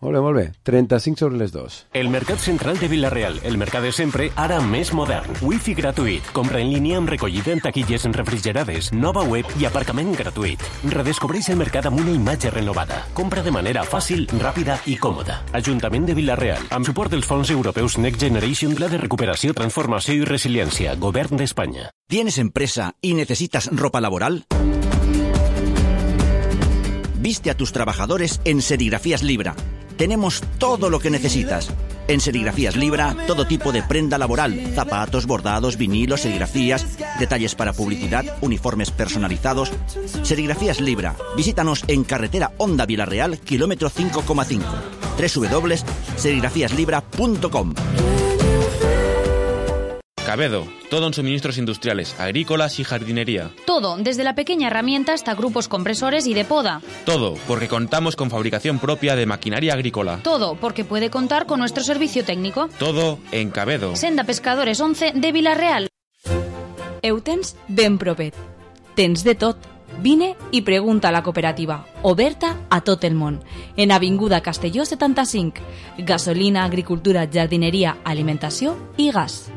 Molt bé. 35/2. El Mercat Central de Vila-real, el mercat de sempre, ara més modern. Wi-Fi gratuït, compra en línia amb recollida en taquilles refrigerades, nova web i aparcament gratuït. Redescobreix el mercat amb una imatge renovada. Compra de manera fàcil, ràpida i còmoda. Ajuntament de Vila-real, amb suport dels fons europeus Next Generation, Pla de Recuperació, Transformació i Resiliència, Govern d'Espanya. ¿Tienes empresa y necesitas ropa laboral? Viste a tus trabajadores en Serigrafías Libra. Tenemos todo lo que necesitas. En Serigrafías Libra, todo tipo de prenda laboral, zapatos, bordados, vinilos, serigrafías, detalles para publicidad, uniformes personalizados. Serigrafías Libra. Visítanos en carretera Honda Vila-real, kilómetro 5,5. www.serigrafíaslibra.com. Cabedo, todo en suministros industriales, agrícolas y jardinería. Todo, desde la pequeña herramienta hasta grupos compresores y de poda. Todo, porque contamos con fabricación propia de maquinaria agrícola. Todo, porque puede contar con nuestro servicio técnico. Todo en Cabedo. Senda Pescadores 11 de Vila-real. Eutens ben propet. Tens de tot. Vine i pregunta a la cooperativa, oberta a tot el món. En Avinguda Castelló 75. Gasolina, agricultura, jardinería, alimentació i gas.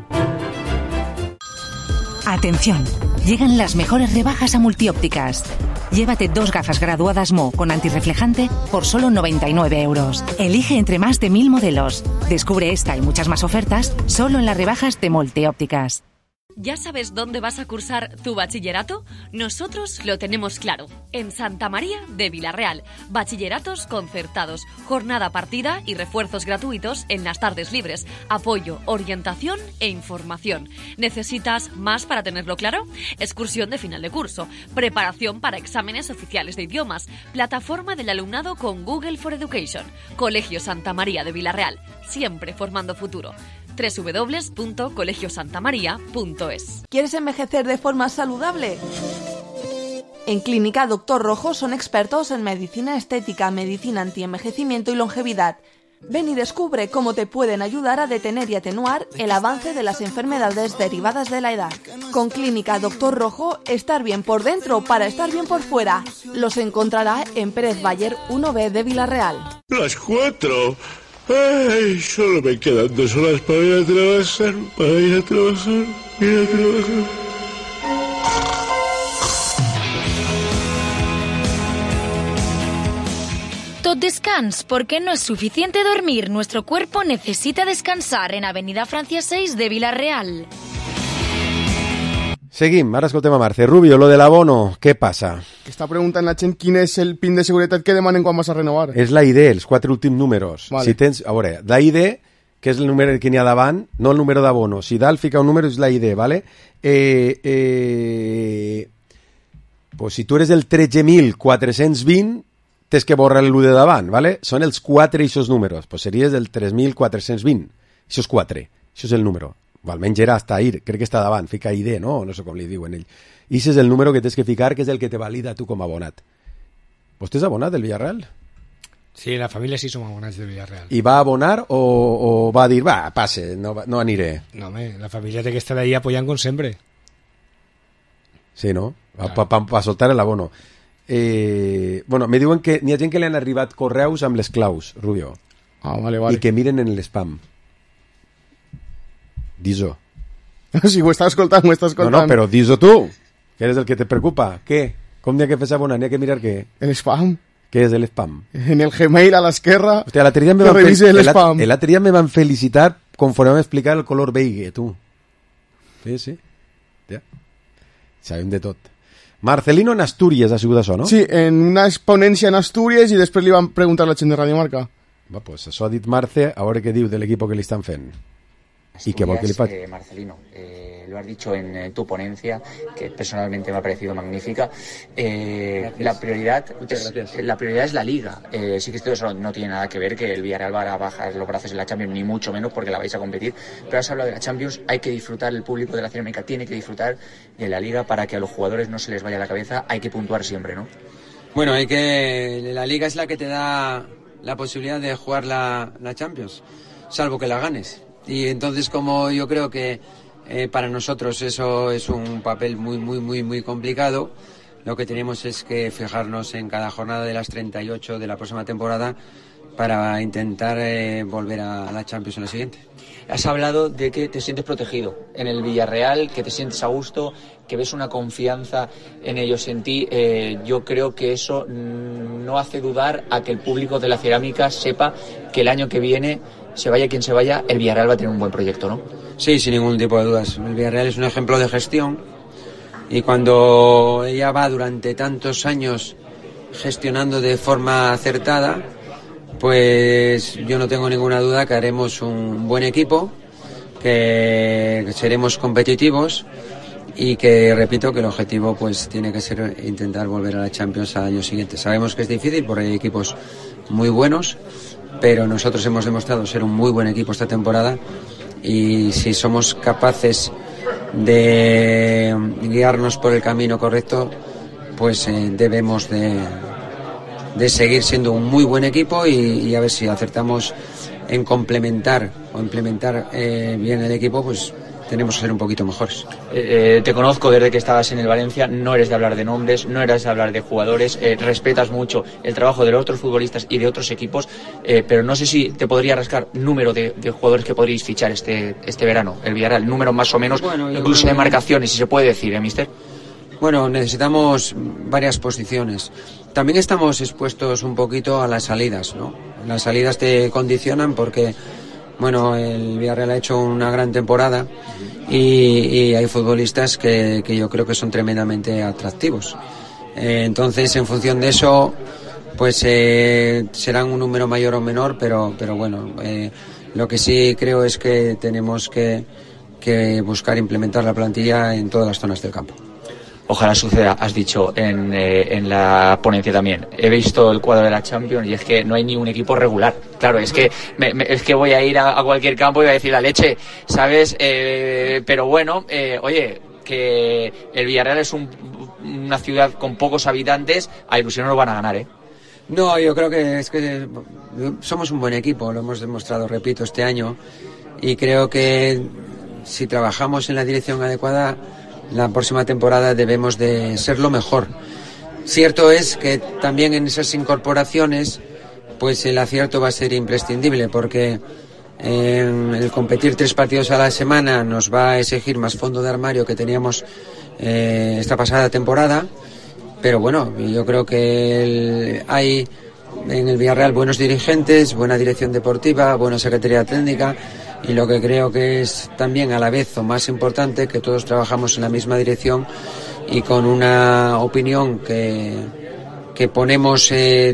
Atención, llegan las mejores rebajas a Multiópticas. Llévate 2 gafas graduadas Mo con antirreflejante por solo 99 euros. Elige entre más de 1000 modelos. Descubre esta y muchas más ofertas solo en las rebajas de Multiópticas. ¿Ya sabes dónde vas a cursar tu bachillerato? Nosotros lo tenemos claro. En Santa María de Vila-real. Bachilleratos concertados, jornada partida y refuerzos gratuitos en las tardes libres. Apoyo, orientación e información. ¿Necesitas más para tenerlo claro? Excursión de final de curso. Preparación para exámenes oficiales de idiomas. Plataforma del alumnado con Google for Education. Colegio Santa María de Vila-real. Siempre formando futuro. www.colegiosantamaria.es. ¿Quieres envejecer de forma saludable? En Clínica Dr. Rojo son expertos en medicina estética, medicina antienvejecimiento y longevidad. Ven y descubre cómo te pueden ayudar a detener y atenuar el avance de las enfermedades derivadas de la edad. Con Clínica Dr. Rojo, estar bien por dentro para estar bien por fuera. Los encontrará en Pérez Bayer 1B de Vila-real. Las 4. Ay, solo me quedan 2 horas para ir a trabajar, Tot descans, porque no es suficiente dormir. Nuestro cuerpo necesita descansar en Avenida Francia 6 de Villarreal. Seguim, ara escoltem a Marce. Rubio, lo de l'abono, què passa? Està preguntant la gent quin és el PIN de seguretat que demanen quan vas a renovar. És la ID, els 4 últims números. Vale. Si tens, a veure, la ID, que és el número que n'hi ha davant, no el número d'abono. Si dalt fica un número és la ID, ¿vale? Pues si tu eres el 13.420, tens que borrar l'1 de davant, ¿vale? Són els 4 eixos números. Pues series el 3.420. Això és 4. Això és el número. Almenys era hasta ahir, crec que està davant, fica ID, no? No sé com li diuen ell. I això és el número que tens que ficar, que és el que te valida tu com a abonat. Vostè és abonat del Villarreal? Sí, la família sí som abonats del Villarreal. I va abonar o va dir, va, passe, no aniré? No, home, la família té que estar ahí apoyant com sempre. Sí, no? Pa soltar el abono. Bueno, me diuen que n'hi ha gent que li han arribat correus amb les claus, Rubio. Ah, vale, vale. I que miren en l'spam. Dis-ho. Si ho estàs escoltant, ho estàs escoltant. No, però dis-ho tu, que eres el que te preocupa. Què? Com n'hi ha que fer abonar? N'hi ha que mirar què? El spam. Què és el spam? En el Gmail a l'esquerra. Hòstia, l'altre dia me van felicitar conforme vam explicar el color beige, tu. Sí. Ja. Sabem de tot. Marcelino en Astúries ha sigut això, no? Sí, en una exponència en Astúries i després li van preguntar a la gent de Radio Marca. Va, pues això ha dit Marce, a veure què diu de l'equip que li estan fent. Asturias, ¿y qué vol que le pase? Marcelino, lo has dicho en tu ponencia, que personalmente me ha parecido magnífica. La prioridad es la Liga. Sí que esto no tiene nada que ver que el Villarreal va a bajar los brazos en la Champions, ni mucho menos porque la vais a competir. Pero has hablado de la Champions, hay que disfrutar, el público de la Cinemática tiene que disfrutar de la Liga para que a los jugadores no se les vaya la cabeza. Hay que puntuar siempre, ¿no? Bueno, la Liga es la que te da la posibilidad de jugar la Champions, salvo que la ganes. Y entonces, como yo creo que para nosotros eso es un papel muy complicado, lo que tenemos es que fijarnos en cada jornada de las 38 de la próxima temporada para intentar volver a la Champions en la siguiente. Has hablado de que te sientes protegido en el Villarreal, que te sientes a gusto, que ves una confianza en ellos, en ti. Yo creo que eso no hace dudar a que el público de la Cerámica sepa que el año que viene, se vaya quien se vaya, el Villarreal va a tener un buen proyecto, ¿no? Sí, sin ningún tipo de dudas. El Villarreal es un ejemplo de gestión y cuando ella va durante tantos años gestionando de forma acertada, pues yo no tengo ninguna duda que haremos un buen equipo, que seremos competitivos y que, repito, que el objetivo pues tiene que ser intentar volver a la Champions al año siguiente. Sabemos que es difícil porque hay equipos muy buenos, pero nosotros hemos demostrado ser un muy buen equipo esta temporada y si somos capaces de guiarnos por el camino correcto, pues debemos de seguir siendo un muy buen equipo y a ver si acertamos en complementar o implementar bien el equipo, pues tenemos que ser un poquito mejores. Te conozco desde que estabas en el Valencia, no eres de hablar de nombres, no eres de hablar de jugadores, respetas mucho el trabajo de los otros futbolistas y de otros equipos, pero no sé si te podría rascar número de jugadores que podríais fichar este verano, el Villarreal, número más o menos, bueno, incluso de marcaciones, si se puede decir, mister. Bueno, necesitamos varias posiciones. También estamos expuestos un poquito a las salidas, ¿no? Las salidas te condicionan porque, bueno, el Villarreal ha hecho una gran temporada y hay futbolistas que yo creo que son tremendamente atractivos. Entonces, en función de eso, pues serán un número mayor o menor, pero bueno, lo que sí creo es que tenemos que buscar implementar la plantilla en todas las zonas del campo. Ojalá suceda, has dicho en la ponencia también. He visto el cuadro de la Champions y es que no hay ni un equipo regular. Claro, es que es que voy a ir a cualquier campo y voy a decir la leche, ¿sabes? Pero bueno, oye, que el Villarreal es una ciudad con pocos habitantes, a ilusión no lo van a ganar, ¿eh? No, yo creo que es que somos un buen equipo, lo hemos demostrado, repito, este año, y creo que si trabajamos en la dirección adecuada, la próxima temporada debemos de ser lo mejor. Cierto es que también en esas incorporaciones pues el acierto va a ser imprescindible, porque el competir 3 partidos a la semana nos va a exigir más fondo de armario que teníamos esta pasada temporada. Pero bueno, yo creo que hay en el Villarreal buenos dirigentes, buena dirección deportiva, buena secretaría técnica, y lo que creo que es también a la vez o más importante, que todos trabajamos en la misma dirección y con una opinión que ponemos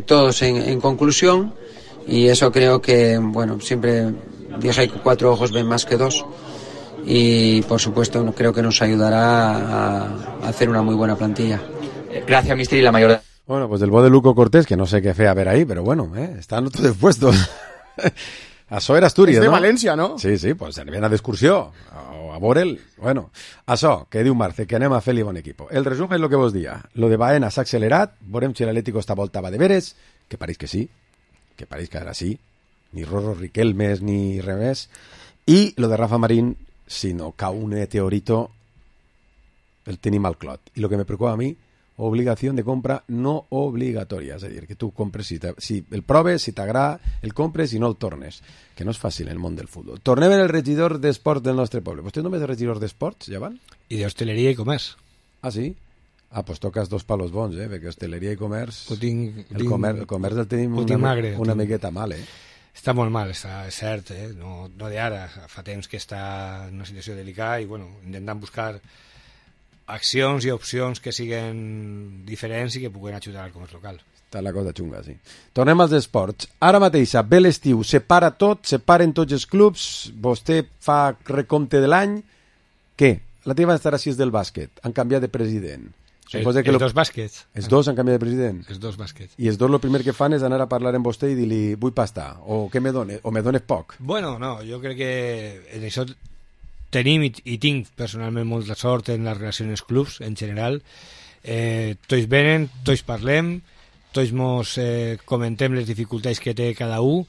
todos en conclusión, y eso creo que, bueno, siempre dije que 4 ojos ven más que 2, y por supuesto creo que nos ayudará a hacer una muy buena plantilla. Gracias, mister, y la mayor... Bueno, pues del bo de Luco Cortés, que no sé qué fe a ver ahí, pero bueno, están todos puestos. Això era Astúries, és de no? València, no? Sí, pues anirem d'excursió, o a Borel. Bueno, això, que diu Marce, que anem a fer-li bon equipo. El resum és lo que vos dia. Lo de Baena s'ha accelerat, veurem si l'Atlético esta volta va de veres, que pareix que sí, que pareix que ara sí, ni Rorro Riquelmes ni res més, i lo de Rafa Marín, si no cau un meteorito, el tenim al clot. I lo que me preocupa a mi, obligació de compra no obligatòria, és a dir, que tu compres, si el proves, si t'agrada, el compres i no el tornes, que no és fàcil en el món del futbol. Tornem en el regidor d'esports del nostre poble. Vostè només és regidor d'esports, ja van? I d'hostaleria i comerç. Ah, sí? Ah, pues tocas 2 palos bons, perquè hostaleria i comerç... El comerç el tenim una miqueta mal, Està molt mal, és cert, no d'ara, fa temps que està en una situació delicada i, bueno, intentant buscar accions i opcions que siguen diferents i que puguen ajudar al comerç local. Està la cosa xunga, sí. Tornem als esports. Ara mateix, ve l'estiu, separa tot, separen tots els clubs, vostè fa recompte de l'any. Què? La teva instal·lació és del bàsquet. Han canviat de president. Els dos bàsquets. Els dos han canviat de president? Els dos bàsquets. I els dos el primer que fan és anar a parlar amb vostè i dir-li vull pasta, o què me dones, o me dones poc. Bueno, no, jo crec que en això tenim i tinc personalment molta sort en les relacions dels clubs en general. Tots venen, tots parlem, tots mos comentem les dificultats que té cada un,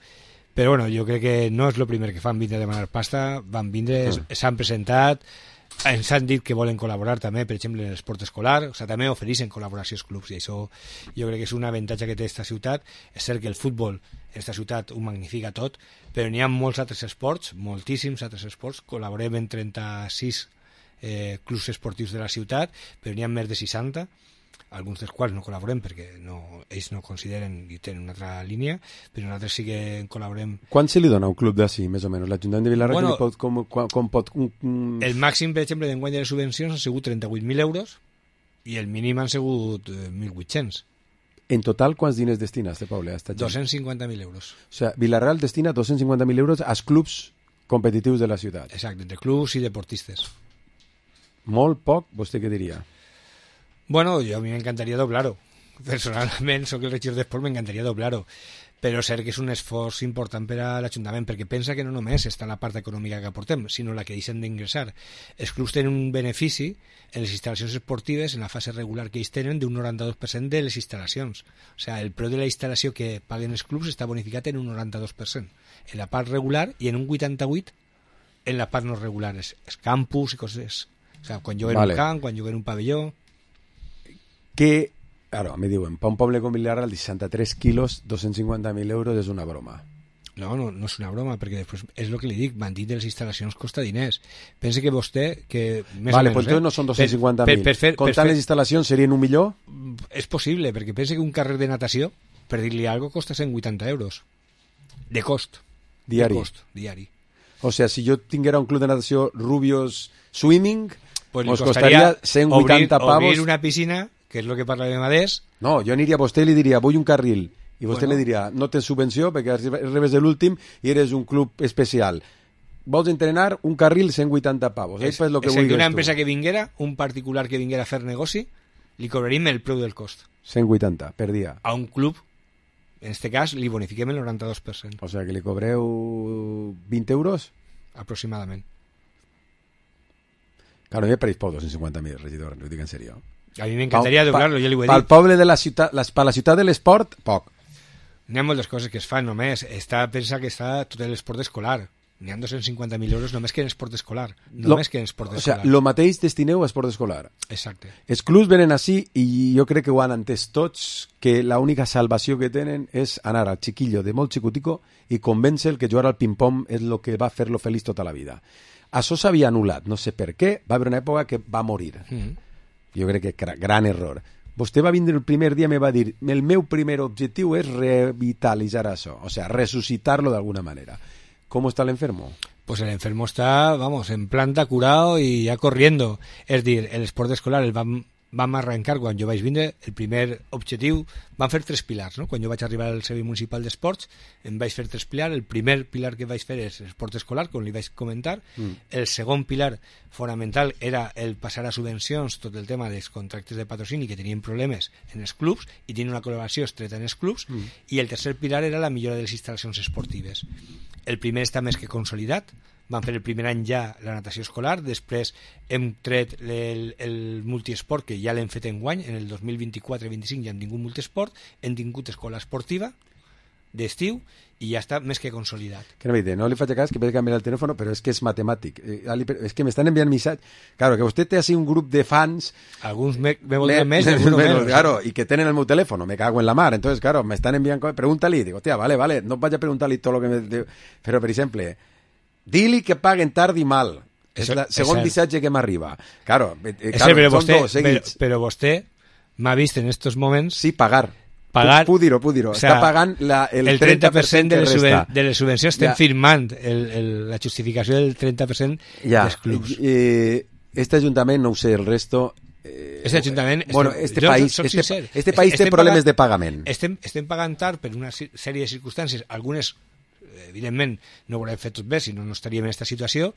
però bueno, jo crec que no és el primer que fan vindre a demanar pasta, van vindre, s'han presentat, ens han dit que volen col·laborar també, per exemple, en l'esport escolar, o sigui, també ofereixen col·laboració als clubs, i això jo crec que és un avantatge que té aquesta ciutat. És cert que el futbol en aquesta ciutat ho magnifica tot, però n'hi ha molts altres esports, moltíssims altres esports, col·laborem en 36 clubs esportius de la ciutat, però n'hi ha més de 60, alguns dels quals no col·laborem perquè ells no consideren i tenen una altra línia, però nosaltres sí que col·laborem. Quant se li dona a un club d'ací, més o menys? L'Ajuntament de Vilarreal com pot... El màxim, per exemple, d'enguany de les subvencions han sigut 38.000 euros i el mínim han sigut 1.800. En total, quants diners destina este poble? 250.000 euros. O sigui, Vilarreal destina 250.000 euros als clubs competitius de la ciutat. Exacte, entre clubs i deportistes. Molt poc, vostè què diria? Bueno, a mi m'encantaria doblar-ho. Personalment, soc el regidor d'esport, m'encantaria doblar-ho. Però és cert que és un esforç important per a l'Ajuntament, perquè pensa que no només està en la part econòmica que aportem, sinó la que deixen d'ingressar. Els clubs tenen un benefici en les instal·lacions esportives, en la fase regular que ells tenen, d'un 92% de les instal·lacions. O sigui, el preu de la instal·lació que paguen els clubs està bonificat en un 92%. En la part regular i en un 88% en la part no regular. És campus i coses... O sigui, quan juguen un camp, quan juguen un pavelló... Que, claro, me diuen, per un poble com Vilarreal de 63 quilos, 250.000 euros és una broma. No és una broma, perquè després és el que li dic, mantenir les instal·lacions costa diners. Pense que vostè... Que més vale, o menys, doncs no són 250.000. Comptant les instal·lacions serien $1 milió? És possible, perquè pense que un carrer de natació, per dir-li alguna cosa, costa 180 euros. De cost. Diari. De cost, diari. O sigui, si jo tinguera un club de natació Rubios Swimming, pues ens costaria 180 pavos. Obrir una piscina, que és el que parlàvem adés. No, jo aniria a vostè i li diria, vull un carril. I vostè li diria, no tens subvenció perquè rebes de l'últim i eres un club especial. Vols entrenar un carril 180 pavos. És el que una empresa que vinguera, un particular que vinguera a fer negoci, li cobraríem el preu del cost. 180 per dia. A un club, en este cas, li bonifiquem el 92%. O sigui que li cobreu 20 euros? Aproximadament. Claro, a mi me pareix poc 250.000, regidor, ho dic en sèrio. A mi m'encantaria doblar-lo, ja li ho he dit. Pel poble de la ciutat, per la ciutat de l'esport, poc. N'hi ha moltes coses que es fan només. Pensa que està tot l'esport escolar. n'hi ha 250.000 euros només que en esport escolar. Només que en esport escolar. O sigui, el mateix destineu a esport escolar. Exacte. Els clubs venen així i jo crec que ho han entès tots, que l'única salvació que tenen és anar al chiquillo de molt xicutico i convèncer que jugar al ping-pong és el que va fer-lo feliç tota la vida. Això s'havia anul·lat, no sé per què, va haver una època que va morir. Jo crec que gran error. Vostè va vindre el primer dia i me va dir el meu primer objectiu és revitalitzar això, o sea, resucitarlo de alguna manera. ¿Cómo está el enfermo? Pues el enfermo está, vamos, en planta, curado y ya corriendo. És dir, el esport escolar el vam arrencar quan jo vaig vindre, el primer objectiu, vam fer 3 pilars, no? Quan jo vaig arribar al Servei Municipal d'Esports, em vaig fer 3 pilars. El primer pilar que vaig fer és esport escolar, com li vaig comentar. El segon pilar fonamental era el passar a subvencions, tot el tema dels contractes de patrocini que tenien problemes en els clubs i tenien una col·laboració estreta en els clubs. I el tercer pilar era la millora de les instal·lacions esportives. El primer està més que consolidat. Vam fer el primer any ja la natació escolar, després hem tret el multiesport, que ja l'hem fet enguany, en el 2024-25 ja hem tingut multiesport, hem tingut escola esportiva d'estiu i ja està més que consolidat. Que no li faig cas, que puede canviar el telèfon, però és que és matemàtic. És que m'estan enviant missatges. Claro, que vostè té així un grup de fans... Alguns me volen més, alguns menos. Claro, y que tenen el meu telèfon, me cago en la mar. Entonces, claro, me están enviant coses. Pregúntale, digo, hostia, vale, no vaig a preguntar-li tot lo que me... Però, per exemple... Dili que paguen tard i mal. És el segon missatge que m'arriba. Claro, però vostè m'ha vist en estos moments... Sí, pagar. Puc dir-ho. O sea, està pagant el 30% de les subvencions. Estem firmant la justificació del 30% dels clubs. Este ajuntament, no ho sé, el resto... Este ajuntament... Bueno, este país té problemes de pagament. Estem pagant tard per una sèrie de circumstàncies, algunes... evidentment no ho haurem fet tot bé, si no estaríem en aquesta situació,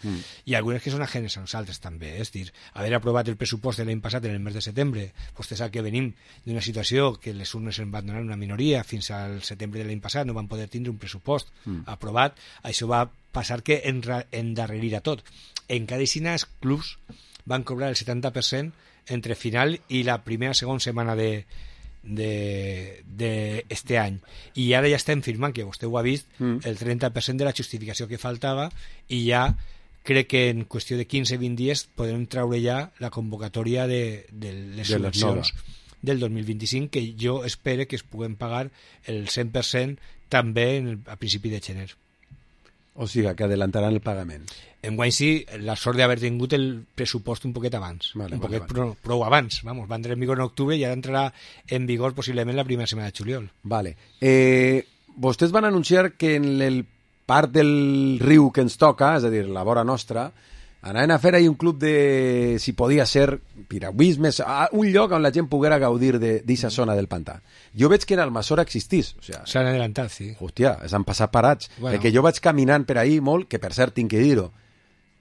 i algunes que són ajenes a nosaltres també, és dir, haver aprovat el pressupost de l'any passat en el mes de setembre, vostè sap que venim d'una situació que les urnes en van donar una minoria, fins al setembre de l'any passat no van poder tindre un pressupost aprovat, això va passar que endarrerirà tot. En cada escena els clubs van cobrar el 70% entre final i la segona setmana d'este any, i ara ja estem firmant, que vostè ho ha vist, el 30% de la justificació que faltava, i ja crec que en qüestió de 15-20 dies podem traure ja la convocatòria de les subvencions del 2025, que jo espero que es puguem pagar el 100% també a principi de gener. O sigui, que adelantaran el pagament. Enguany sí, la sort d'haver tingut el pressupost un poquet abans, prou abans, vamos, va entrar en vigor en octubre i ara entrarà en vigor possiblement la primera setmana de juliol. Vale. Vostès van anunciar que en el part del riu que ens toca, és a dir, la vora nostra, anaven a fer ahí un club de, si podia ser, piragüisme, un lloc on la gent poguera gaudir d'aquesta zona del pantà. Jo veig que en Almassora existís. O sea, s'han adelantat, sí. Hòstia, s'han passat parats. Bueno. Perquè jo vaig caminant per ahí molt, que per cert tinc que dir-ho,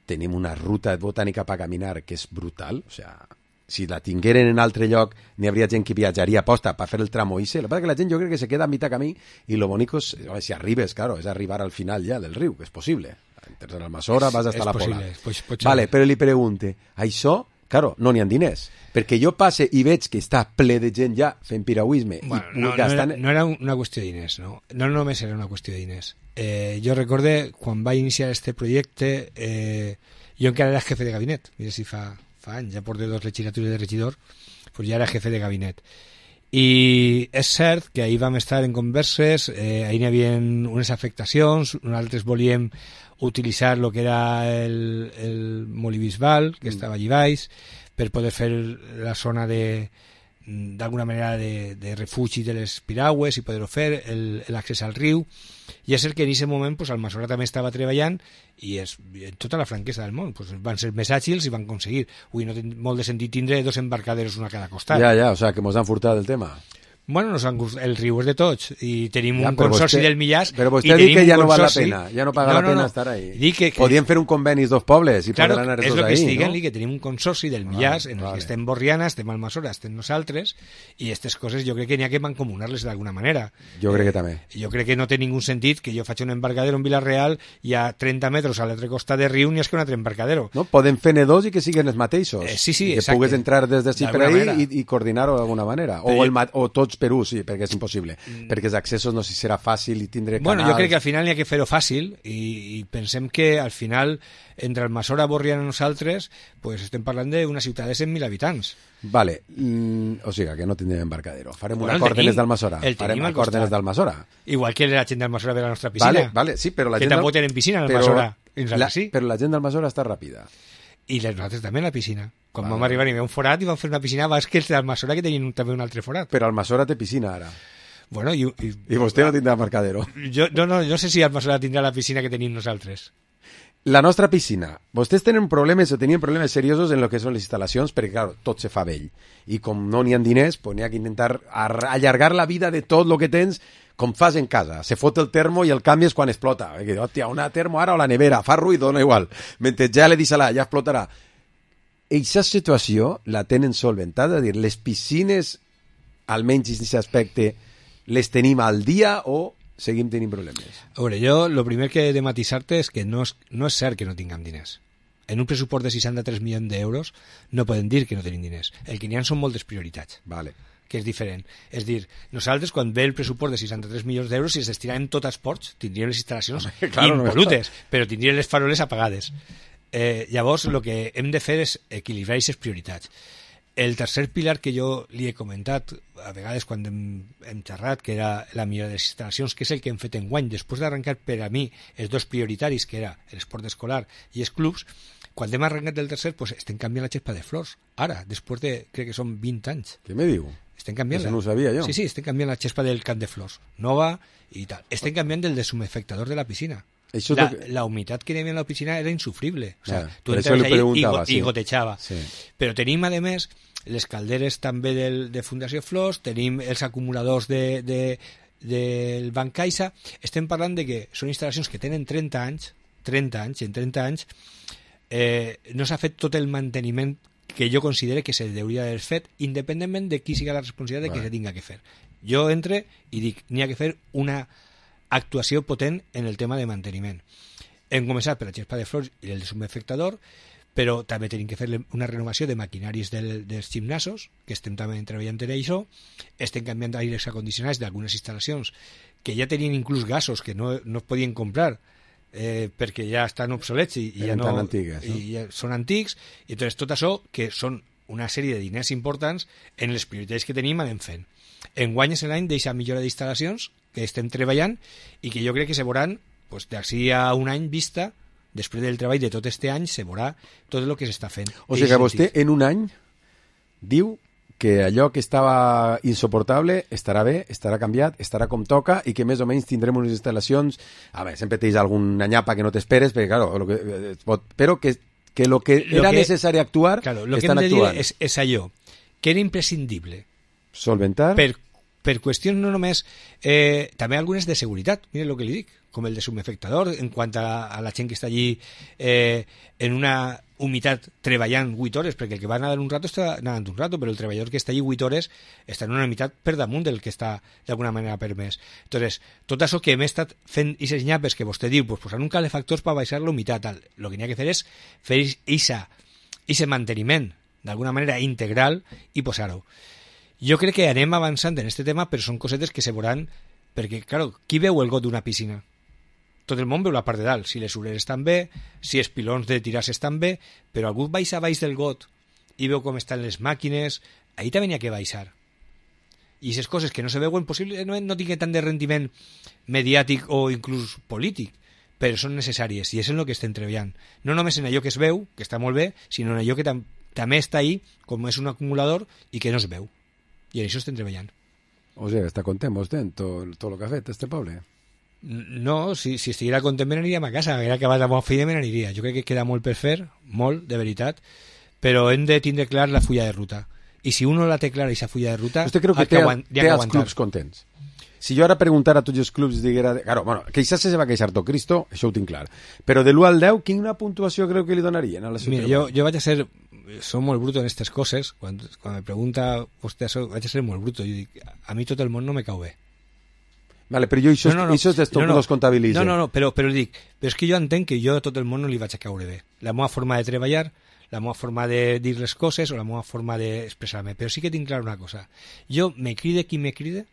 tenim una ruta botànica per caminar que és brutal. O sea, si la tingueren en altre lloc, n'hi hauria gent que viatjaria a posta per fer el tramo Ise. El que passa que la gent jo crec que se queda a mitjà camí i lo bonico és, si arribes, claro, és arribar al final ja del riu, que és possible. Entres a Almassora, vas hasta la Pola. Vale, però li pregunte, això, claro, no n'hi ha diners. Perquè jo passe i veig que està ple de gent ja fent piragüisme. Bueno, no era una qüestió de diners, no? No només era una qüestió de diners. Jo recorde, quan vaig iniciar este projecte, jo encara era jefe de gabinet. Mira si fa anys, ja porto 2 legislatures de regidor, pues ja era jefe de gabinet. I és cert que ahir vam estar en converses, ahir n'hi havia unes afectacions, nosaltres volíem utilitzar el que era el molí bisbal, que estava allí baix, per poder fer la zona d'alguna manera de refugi de les piragües i poder-ho fer, l'accés al riu. I és cert que en aquest moment pues, Almassora també estava treballant i en tota la franquesa del món pues, van ser més àgils i van aconseguir. Avui no té molt de sentit tindre 2 embarcaderos una a cada costat. Ja, o sea, que mos han furtat el tema. Bueno, el riu és de tots i tenim un consorci del Millars. Però vostè diu que ja no val la pena, ja no paga la pena estar ahí. Podien fer un conveni 2 pobles i poder anar tots ahí, no? És el que estic dient, que tenim un consorci del Millars en el que estem Borriana, estem Almassora, estem nosaltres, i aquestes coses jo crec que n'hi ha que mancomunar-les d'alguna manera. Jo crec que també. Jo crec que no té ningú sentit que jo faci un embarcadero en Vila-real i a 30 metres a l'altre costat de riu n'hi ha que un altre embarcadero. No, podem fer dos i que siguin els mateixos. Sí, que pugues entrar des d'ací per ahí i coordinar-ho d'alguna manera. O tots tots per ús, sí, perquè és impossible. Perquè els accessos no sé si serà fàcil i tindré canals... Bueno, jo crec que al final n'hi ha que fer-ho fàcil i pensem que al final entre Almassora, Borriana i nosaltres pues estem parlant d'una ciutat de 100.000 habitants. Vale, o sigui que no tindrem embarcadero. Farem un acord de les d'Almassora. Farem acord de les d'Almassora. Igual que la gent d'Almassora ve a la nostra piscina. Vale, sí, però la gent... Que tampoc tenen piscina a Almassora. Però la gent d'Almassora està ràpida. I nosaltres també a la piscina. Quan vam arribar hi havia un forat i vam fer una piscina abans que els d'Almassora que tenien també un altre forat. Però Almassora té piscina ara. Bueno, I vostè no tindrà embarcadero. Jo sé si Almassora tindrà la piscina que tenim nosaltres. La nostra piscina. Vostès tenen problemes o tenien problemes seriosos en lo que són les instal·lacions perquè, clar, tot se fa vell. I com no n'hi ha diners, pues n'hi ha que intentar allargar la vida de tot lo que tens com fas en casa. Se fot el termo i el canvies quan explota. Hòstia, una termo ara o la nevera, fa ruïdo, dona igual. Mentre ja le deixa-la, ja explotarà. Eixa situació la tenen solventada? És a dir, les piscines, almenys en aquest aspecte, les tenim al dia o seguim tenint problemes? A veure, jo el primer que he de matisar-te és que no és cert que no tinguem diners. En un pressupost de 63 milions d'euros no podem dir que no tenim diners. El que n'hi ha són moltes prioritats. Vale. Que és diferent. És dir, nosaltres quan ve el pressupost de 63 milions d'euros si es destinaven tot a esports, tindríem les instal·lacions impolutes, però tindríem les faroles apagades. Llavors, el que hem de fer és equilibrar aquestes prioritats. El tercer pilar que jo li he comentat, a vegades quan hem xerrat, que era la millora de les instal·lacions, que és el que hem fet enguany, després d'arrencar per a mi els dos prioritaris, que era l'esport escolar i els clubs, quan hem arrencat del tercer, pues, estem canviant la xespa de flors. Ara, després de, crec que són 20 anys. Què me diu? Estem canviant-la. Això no ho sabia jo. Sí, estem canviant la xespa del camp de flors. Nova i tal. Estem canviant del desumefectador de la piscina. La humitat que hi havia en la piscina era insufrible. O sea, tu entres allà i gotejava. Sí. Però tenim, a més, les calderes també de Fundació Flors, tenim els acumuladors del Banc Caixa. Estem parlant de que són instal·lacions que tenen 30 anys, i en 30 anys no s'ha fet tot el manteniment que jo considero que se hauria d'haver fet, independentment de qui siga la responsabilitat de que se tinga que fer. Jo entre i dic, n'hi ha que fer una actuació potent en el tema de manteniment. Hem començat per la xespa de flors i el desumefectador, però també tenim que fer una renovació de maquinaris dels gimnasos, que estem també treballant en això, estem canviant aires acondicionats d'algunes instal·lacions que ja tenien inclús gasos que no es podien comprar, perquè ja estan obsolets i ja no, antigues, no? I ja són antics, i entonces tot això que són una sèrie de diners importants en les prioritats que tenim anem fent. Enguany és l'any d'aquesta millora d'instal·lacions que estem treballant i que jo crec que se veuran pues, d'ací a un any vista, després del treball de tot este any se veurà tot el que s'està fent. O sigui que vostè en un any diu que allò que estava insoportable estarà bé, estarà canviat, estarà com toca i que més o menys tindrem unes instal·lacions, a veure, sempre tens alguna nyapa que no t'esperes, perquè claro, però que lo que era necessari actuar, claro, lo estan que hem de actuant. dir és allò, que era imprescindible. Solventar? Per qüestions no només, també algunes de seguretat, mire el que li dic, com el desumefectador, en quant a la gent que està allí en una humitat treballant 8 hores, perquè el que va nedar un rato està nedant un rato, però el treballador que està allí 8 hores està en una humitat per damunt del que està d'alguna manera permès. Entonces, tot això que hem estat fent aquestes nyapes que vostè diu, pues, posant un calefactor per baixar la humitat, el que n'hi ha que fer és fer aquest manteniment d'alguna manera integral i posar-ho. Jo crec que anem avançant en aquest tema, però són cosetes que se veuran, perquè, claro, qui veu el got d'una piscina? Tot el món veu la part de dalt, si les obreres estan bé, si els pilons de tirar-se estan bé, però algú baixa baix del got i veu com estan les màquines, ahí també n'hi ha que baixar. I aquestes coses que no se veuen possible no tinguen tant de rendiment mediàtic o inclús polític, però són necessàries i és en el que estem treballant. No només en allò que es veu, que està molt bé, sinó en allò que també està ahí, com és un acumulador i que no es veu. I en això estem treballant. O sigui, està content vostè en tot el que ha fet este poble? No, si estiguera content me n'aniríem a casa, haguera acabat la meva feina me n'aniria. Jo crec que queda molt per fer, molt, de veritat, però hem de tindre clar la fulla de ruta. I si uno la té clara, aquesta fulla de ruta, vostè creu que té els clubs contents? Si jo ara preguntara a tots els clubs diguera... Claro, bueno, queixar-se se va queixar tot Cristo, això ho tinc clar. Però de l'1 al 10, quina puntuació creu que li donarien a la ciutat? Mira, jo vaig a ser... Soc molt bruto en aquestes coses. Quan me pregunta vostè això, vaig a ser molt bruto. Jo dic, a mi tot el món no me cau bé. Vale, però jo això és d'esto que los comptabilitza. No, però dic, però és que jo entenc que jo a tot el món no li vaig a caure bé. La meva forma de treballar, la meva forma de dir les coses o la meva forma d'expressar-me. Però sí que tinc clar una cosa. Jo me cride qui me cride,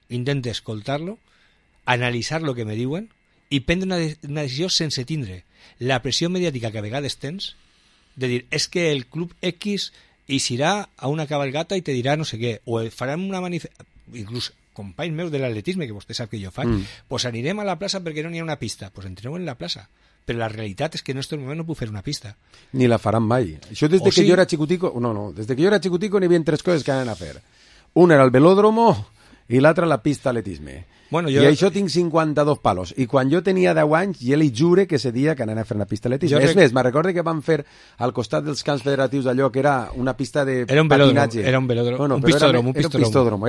intento escoltar-lo, analitzar el que me diuen i prendre una decisió sense tindre la pressió mediàtica que a vegades tens de dir, és que el club X eixirà a una cabalgata i te dirà no sé què, o faran una manifestació, inclús companys meus de l'atletisme, que vostè sap que jo faig, pues anirem a la plaça perquè no n'hi ha una pista. Pues entreu en la plaça. Però la realitat és que en aquest moment no puc fer una pista. Ni la faran mai. Això des de que jo era xicutico... No, des de que jo era xicutico n'hi havia 3 coses que anaven a fer. Una era el velòdromo i l'altra la pista atletisme. Bueno, I això tinc 52 palos. I quan jo tenia 10 anys, jo li jure que ese dia que anava a fer una pista atletisme. És més, me'n recordo que van fer al costat dels camps federatius allò que era una pista de patinatge. Era un velòdromo. Bueno, un pistòdromo.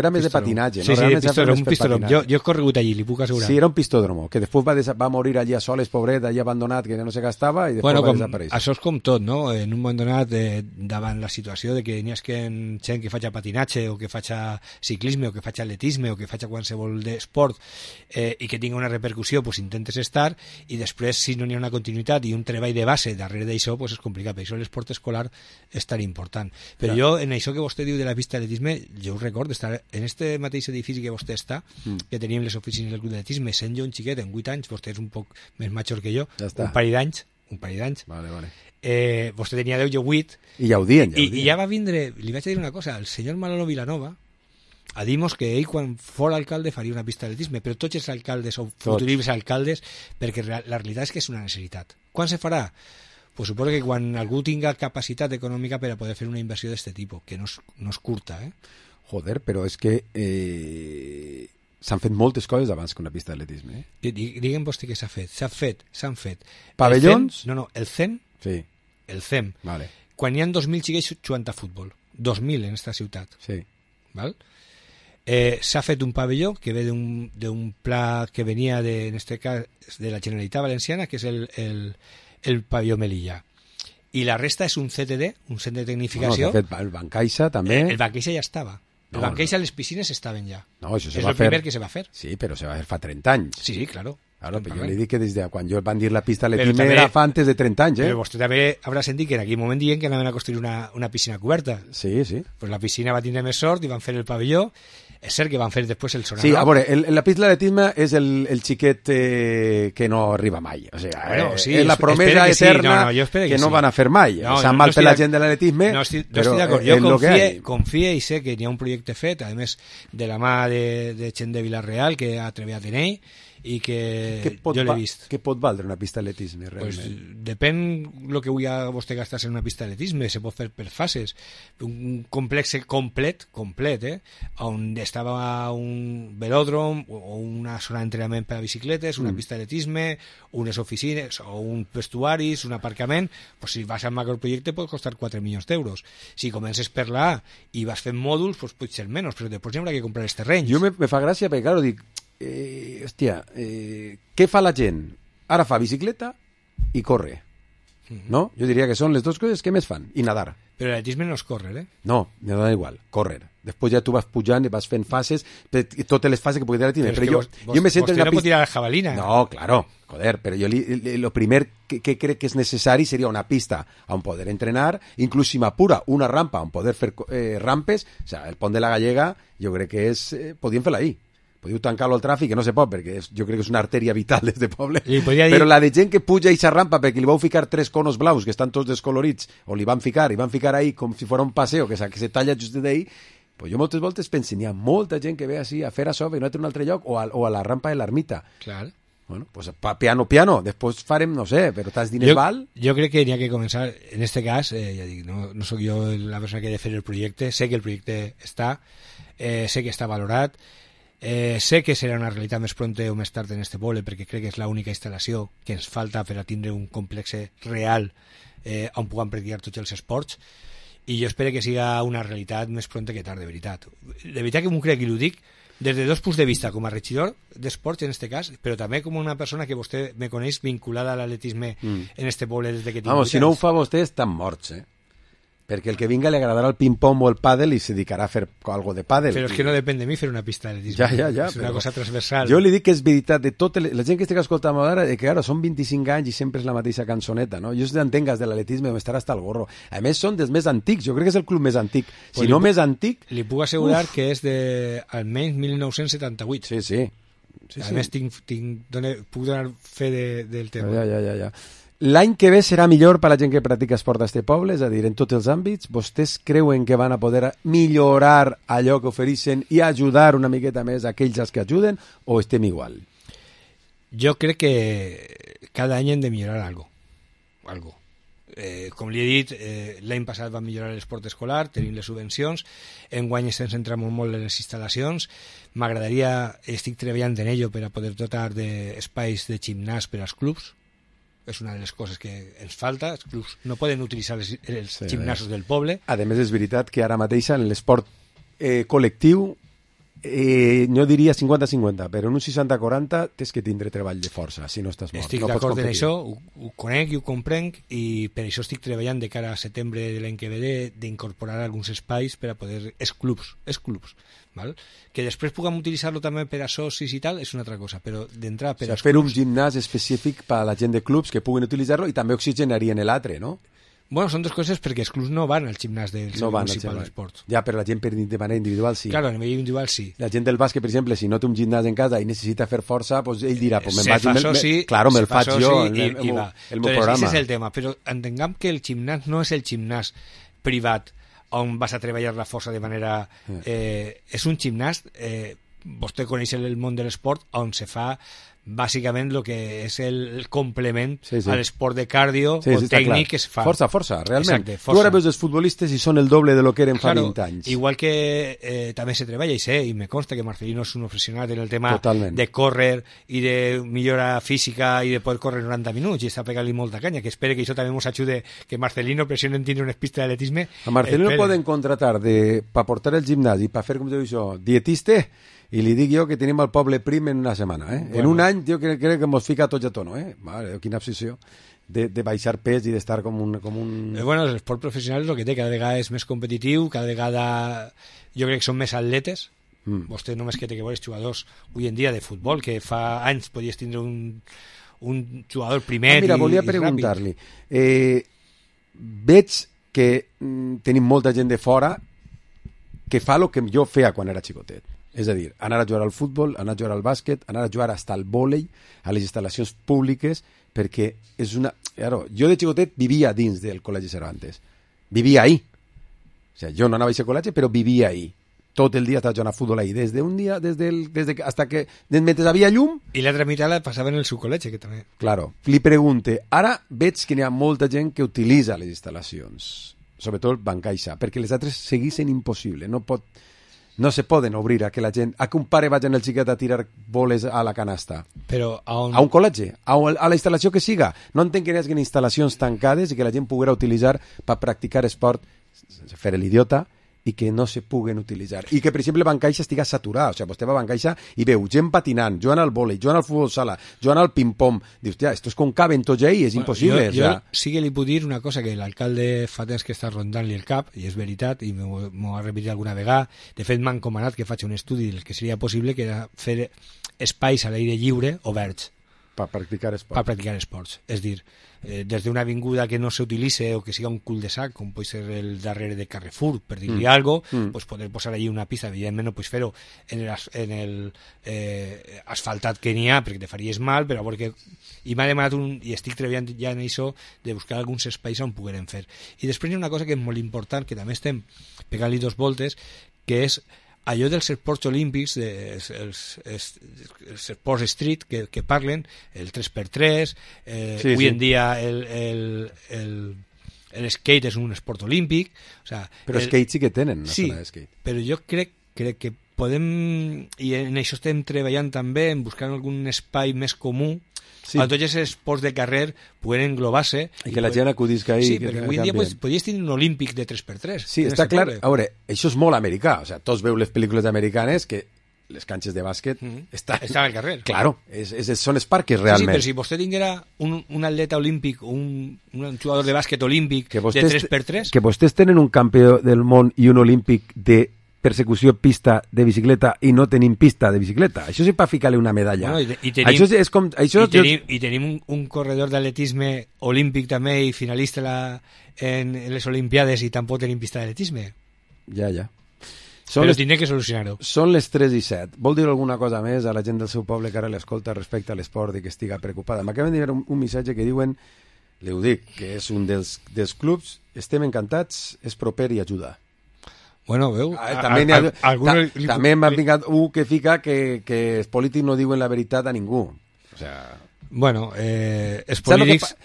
Era més de patinatge. Sí, un pistòdromo. Jo he corregut allí, li puc assegurar. Sí, era un pistòdromo, que després va morir allà soles, pobret, allà abandonat, que no se gastava, i després va desaparèixer. Això és com tot, no? En un moment donat, davant la situació de que n'hi ha gent que faci patinatge, o que faci ciclisme, o que faci atletisme, o que faci qualsevol esport, i que tingui una repercussió, pues intentes estar, i després, si no n'hi ha una continuïtat i un treball de base darrere d'això, pues és complicat. Per això l'esport escolar és tan important. Però jo, en això que vostè diu de la pista d'atletisme, jo ho recordo, estar en este mateix edifici que vostè està, que teníem les oficines del club d'atletisme, sent jo un xiquet, en 8 anys, vostè és un poc més major que jo, un parell d'anys. Vale. Vostè tenia 10, jo 8. I ja ho dient. I ja va vindre, li vaig dir una cosa, el senyor Manolo Vilanova, a dir-nos que ell, quan fos alcalde, faria una pista d'atletisme, però tots els alcaldes o futuribles alcaldes, perquè la realitat és que és una necessitat. Quan se farà? Pues suposo que quan algú tinga capacitat econòmica per a poder fer una inversió d'aquest tipus, que no és curta, Joder, però és que s'han fet moltes coses abans que una pista d'atletisme. Digue'm vostè què s'ha fet. S'han fet. Pavellons? El CEM. Sí. El CEM. Vale. Quan hi ha 2.000 xiquets jugant a futbol. 2.000 en esta ciutat. Sí. Val? S'ha fet un pavelló que ve d'un pla que venia en este cas de la Generalitat Valenciana, que és el pavelló Melilla, i la resta és un CTD, un centre de tecnificació. S'ha fet el Bancaixa també. El Bancaixa ja estava. El Bancaixa, les piscines estaven ja. No, això és el primer que se va fer. Sí, però se va fer fa 30 anys. Sí, claro. Claro, però jo li dic que des de quan jo van dir la pista atletisme era fa antes de 30 anys, Però vostè també haurà sentit que en aquell moment diuen que anaven a construir una piscina coberta. Sí. Pues la piscina va tindre més sort i van fer el pavelló. És cert que van fer després el sonar. Sí, a veure, la pista d'atletisme és el xiquet que no arriba mai. O sigui, és la promesa eterna que no van a fer mai. S'ha mal per la gent de l'atletisme, però jo confio i sé que n'hi ha un projecte fet, a més de la mà de gent de Vila-real que ha treballat en ell, i que jo l'he vist. Què pot valdre una pista d'atletisme, realment? Pues depèn el que vulgui vostè gastar-se en una pista d'atletisme, se pot fer per fases. Un complex complet, on estava un velòdrom o una zona d'entrenament per a bicicletes, una pista d'atletisme, unes oficines o un vestuaris, un aparcament, pues si vas al macroprojecte pot costar 4 milions d'euros. Si comences per la A i vas fent mòduls, pues pot ser menys, però després hi haurà que comprar els terrenys. Jo me fa gràcia perquè, claro, dic, què fa la gent? Ara fa bicicleta i corre, no? Jo diria que són les dues coses que més fan, i nadar. Però l'atletisme no és córrer, No, nadar igual, córrer. Després ja tu vas pujant i vas fent fases, totes les fases que pugui dir l'atletisme. Però jo me sento en una pista... no pot tirar la jabalina. No, claro, joder, però jo lo primer que crec que és necessari seria una pista on poder entrenar, inclús si m'apura una rampa on poder fer rampes, o sea, el pont de la Gallega, jo crec que és... podíem fer-la ahí. Podíeu tancar-lo al tràfic, que no se pot, perquè jo crec que és una artèria vital des de poble. Però la de gent que puja a aquesta rampa perquè li vau ficar 3 conos blaus que estan tots descolorits, o li van ficar ahí com si fos un paseo que se talla just d'ahí, pues jo moltes voltes penso, n'hi ha molta gent que ve així a fer això i no té un altre lloc, o a la rampa de l'ermita. Clar. Bueno, pues piano, després farem, no sé, però tants diners val? Jo crec que n'hi ha que començar, en este cas, ja dic, no sóc jo la persona que ha de fer el projecte, sé que el projecte està, sé que està valorat, sé que serà una realitat més pronta o més tard en este poble, perquè crec que és l'única instal·lació que ens falta per a tindre un complex real on puguem practicar tots els esports, i jo espero que siga una realitat més pronta que tard, de veritat. De veritat que m'ho crec i ho dic des de 2 punts de vista, com a regidor d'esports en este cas, però també com una persona que vostè me coneix vinculada a l'atletisme en este poble des de que tinc 8 anys. Si no ho fa vostè estan morts, Perquè el que vinga li agradarà el ping-pong o el pàdel i se dedicarà a fer algo de pàdel. Però és que no depèn de mi fer una pista d'atletisme. Ja, és una cosa transversal. Jo li dic que és veritat de tota la gent que estic escoltant ara, que ara són 25 anys i sempre és la mateixa cançoneta, no? Jo entenc de l'atletisme m'estarà hasta el gorro. A més, són dels més antics, jo crec que és el club més antic. Si no més antic... Li puc assegurar que és de almenys 1978. Sí. A més, puc donar fe del tema. Ja. L'any que ve serà millor per a la gent que practica esport a este poble, és a dir, en tots els àmbits. Vostès creuen que van a poder millorar allò que ofereixen i ajudar una miqueta més a aquells que ajuden, o estem igual? Jo crec que cada any hem de millorar algo. Com li he dit, l'any passat va millorar l'esport escolar, tenim les subvencions, enguany estem centrant molt en les instal·lacions. M'agradaria, estic treballant en ello per a poder dotar d'espais de gimnàs per als clubs. És una de les coses que ens falta. Els clubs no poden utilitzar els gimnasos del poble. A més, és veritat que ara mateix en l'esport col·lectiu no diria 50-50, però en un 60-40 tens que tindre treball de força, si no estàs mort. Estic d'acord en això, ho conec i ho comprenc, i per això estic treballant de cara a setembre de l'any que ve d'incorporar alguns espais per a poder... Els clubs, val? Que després puguem utilitzar-lo també per a socis i tal, és una altra cosa, però d'entrar per als fer clubs... un gimnàs específic per a la gent de clubs que puguin utilitzar-lo i també oxigenarien l'altre, no? Bueno, són dues coses perquè els clubs no van al gimnàs del municipal d'esports. Ja, però la gent de manera individual sí. Claro, a nivell individual sí. La gent del bàsquet, per exemple, si no té un gimnàs en casa i necessita fer força, pues ell dirà, pues me'l faig jo, i va. El meu programa. Aquest és el tema, però entenguem que el gimnàs no és el gimnàs privat on vas a treballar la força de manera... és un gimnàs, vostè coneix el món de l'esport, on se fa bàsicament el que és el complement a l'esport de cardio o tècnic que es fa. Força, realment. Tu ara veus els futbolistes i són el doble de lo que eren fa 20 anys. Igual que també se treballa, i me consta que Marcelino és un professional en el tema de córrer i de millora física i de poder córrer 90 minuts, i està pegant-li molta canya, que espere que això també ens ajude, que Marcelino pressione en tindre unes pistes d'atletisme. A Marcelino poden contratar per portar el gimnàs i per fer, com diu això, dietista, i li dic jo que tenim el poble prim en una setmana. Bueno. En un any, jo crec que ens fica tots a tono. Mare, quina obsessió de baixar pes i d'estar com un... Bueno, l'esport professional és el que té, cada vegada és més competitiu, cada vegada jo crec que són més atletes. Vostè només que té que veure els jugadors avui en dia de futbol, que fa anys podies tindre un jugador primer mira, volia preguntar-li. Veig que tenim molta gent de fora que fa el que jo feia quan era xicotet. És a dir, anar a jugar al futbol, anar a jugar al bàsquet, anar a jugar hasta al vòlei, a les instal·lacions públiques, perquè és una... Claro, jo de xicotet vivia dins del Col·legi Cervantes. Vivia ahí. O sea, jo no anava a aquest col·legi, però vivia ahí. Tot el dia estava jugant a futbol ahí, hasta que mentre havia llum... I l'altra meitat la passava en el seu col·legi, que també... Claro. Li pregunte, ara veig que n'hi ha molta gent que utilitza les instal·lacions, sobretot Bancaixa, perquè les altres seguissin impossible. No se poden obrir a que la gent, a que un pare vagi en el xiquet a tirar boles a la canasta. Però a un col·legi, a la instal·lació que siga. No entenc que hi hagi instal·lacions tancades i que la gent poguera utilitzar per practicar esport sense fer l'idiota i que no se puguen utilitzar. I que, per exemple, Bancaixa estiga saturat. O sigui, vostè va a Bancaixa i veu gent patinant, jugant al vòlei, jugant al futbol sala, jugant al ping-pong. Dius, tia, esto es con caben tots ahí, és impossible. Jo sí que li puc dir una cosa, que l'alcalde fa temps que està rondant-li el cap, i és veritat, i m'ho ha repetit alguna vegada. De fet, m'ha encomanat que faci un estudi del que seria possible, que era fer espais a l'aire lliure oberts. Per practicar esports. Per practicar esports. És dir, des d'una avinguda que no s'utilitzi o que siga un cul-de-sac, com pot ser el darrere de Carrefour, per dir-li alguna cosa, pues poder posar allí una pista. Evidentment no pots fer-ho en el asfaltat que n'hi ha, perquè te faries mal, però perquè... I m'ha demanat i estic treballant ja en això, de buscar alguns espais on poguérem fer. I després hi ha una cosa que és molt important, que també estem pegant-li 2 voltes, que és allò dels esports olímpics, els esports street que parlen, el 3x3, avui en dia el skate és un esport olímpic. O sea, però skate sí que tenen una zona de skate. Però jo crec que podem, i en això estem treballant també, en buscar algun espai més comú, on tots els esports de carrer poden englobar-se. I que la gent acudisca ahí. Sí, perquè avui en dia podries tenir un olímpic de 3x3. Sí, està clar. A veure, això és molt americà. O sigui, tots veu les pel·lícules americanes que les canxes de bàsquet estan al carrer. Claro, són els parques realment. Sí, però si vostè tinguera un atleta olímpic, un jugador de bàsquet olímpic de 3x3... Que vostès tenen un campió del món i un olímpic de persecució pista de bicicleta i no tenim pista de bicicleta. Això sí per ficar-li una medalla. Bueno, i tenim un corredor d'atletisme olímpic també i finalista en les Olimpiades i tampoc tenim pista d'atletisme. Ja. Però tindré que solucionar-ho. Són les 3:07. Vol dir alguna cosa més a la gent del seu poble que ara l'escolta respecte a l'esport i que estiga preocupada? M'acaben de dir un missatge que diuen, li ho dic, que és un dels clubs, estem encantats, és proper i ajuda. Bueno, veu... També m'ha vingut que fica que els polítics no diuen la veritat a ningú. O sea... Bueno, els polítics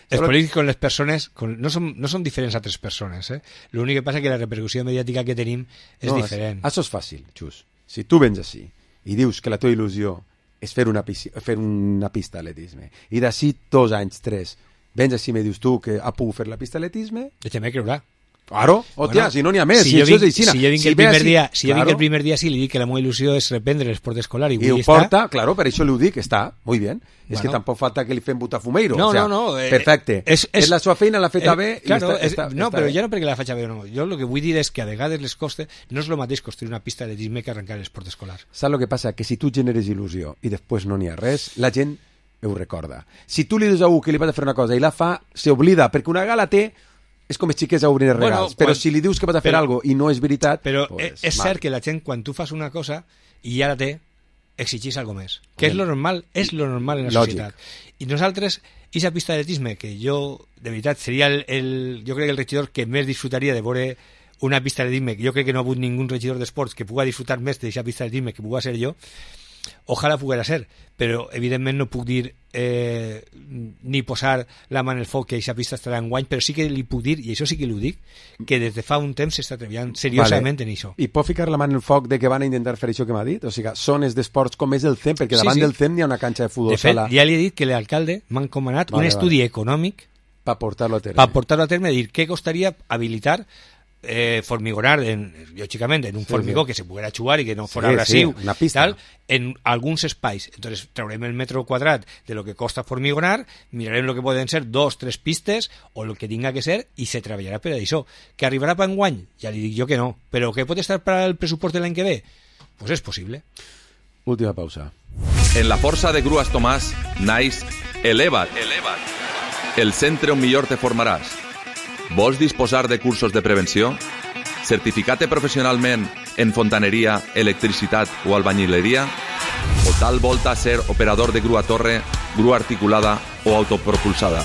con les persones no són diferents a altres persones. L'únic que passa que la repercussió mediàtica que tenim és diferent. Això és fàcil, Xus. Si tu vens així i dius que la teva il·lusió és fer una pista d'atletisme i d'ací 2 anys, 3, vens així i me dius tu que ha pogut fer la pista d'atletisme... Deixa'm creure. Claro, hòstia, si no n'hi ha més. Si jo vinc el primer dia, sí, li dic que la meva il·lusió és reprendre l'esport escolar i ho porta, claro, per això li ho dic, està, muy bien. És que tampoc falta que li fem botafumeiro. No. Perfecte. És la seva feina, l'ha feta bé. No, però ja no perquè la faig bé o no. Jo el que vull dir és que a vegades les costes no és el mateix construir una pista d'atletisme que arrencar l'esport escolar. Saps el que passa? Que si tu generes il·lusió i després no n'hi ha res, la gent ho recorda. Si tu li dius a algú que li vas a fer una cosa i la fa, s'oblida, perquè una gala té... És com els xiquets a obrir els regals, però si li dius que vas a fer alguna cosa i no és veritat... Però és cert que la gent, quan tu fas una cosa i ja la té, exigís alguna més. Que és lo normal en la societat. I nosaltres, aquesta pista d'atletisme, que jo, de veritat, seria jo crec que el regidor que més disfrutaria de veure una pista d'atletisme, jo crec que no ha hagut ningú regidor d'esports que pugui disfrutar més d'aquesta pista d'atletisme que pugui ser jo, ojalà poguera ser, però evidentment no puc dir ni posar la mà en el foc que aquesta pista estarà en guany, però sí que li puc dir, i això sí que li ho dic, que des de fa un temps s'està treballant seriosament en això. I pot ficar la mà en el foc de que van a intentar fer això que m'ha dit? O sigui, zones d'esports com és el CEM, perquè davant del CEM hi ha una canxa de futbol sala. De fet, ja li he dit que l'alcalde m'ha encomanat un estudi econòmic per portar-lo a terme. Dir què costaria habilitar formigonar, lògicament, en un formigó que se poguera xugar i que no fos abrasiu, una pista. Tal, en alguns espais. Entonces traurem el metro quadrat de lo que costa formigonar, mirarem lo que poden ser 2-3 pistes o lo que tinga que ser i se treballarà per això. Que arribarà per enguany? Ja li dic jo que no. Però que pot estar per al pressupost de l'any que ve? Pues és possible. Última pausa. En la força de Grues Tomàs naix Eleva't. El centre on millor te formaràs. Vols disposar de cursos de prevenció? Certificat-te professionalment en fontaneria, electricitat o albañileria? O tal volta ser operador de grua torre, grua articulada o autopropulsada?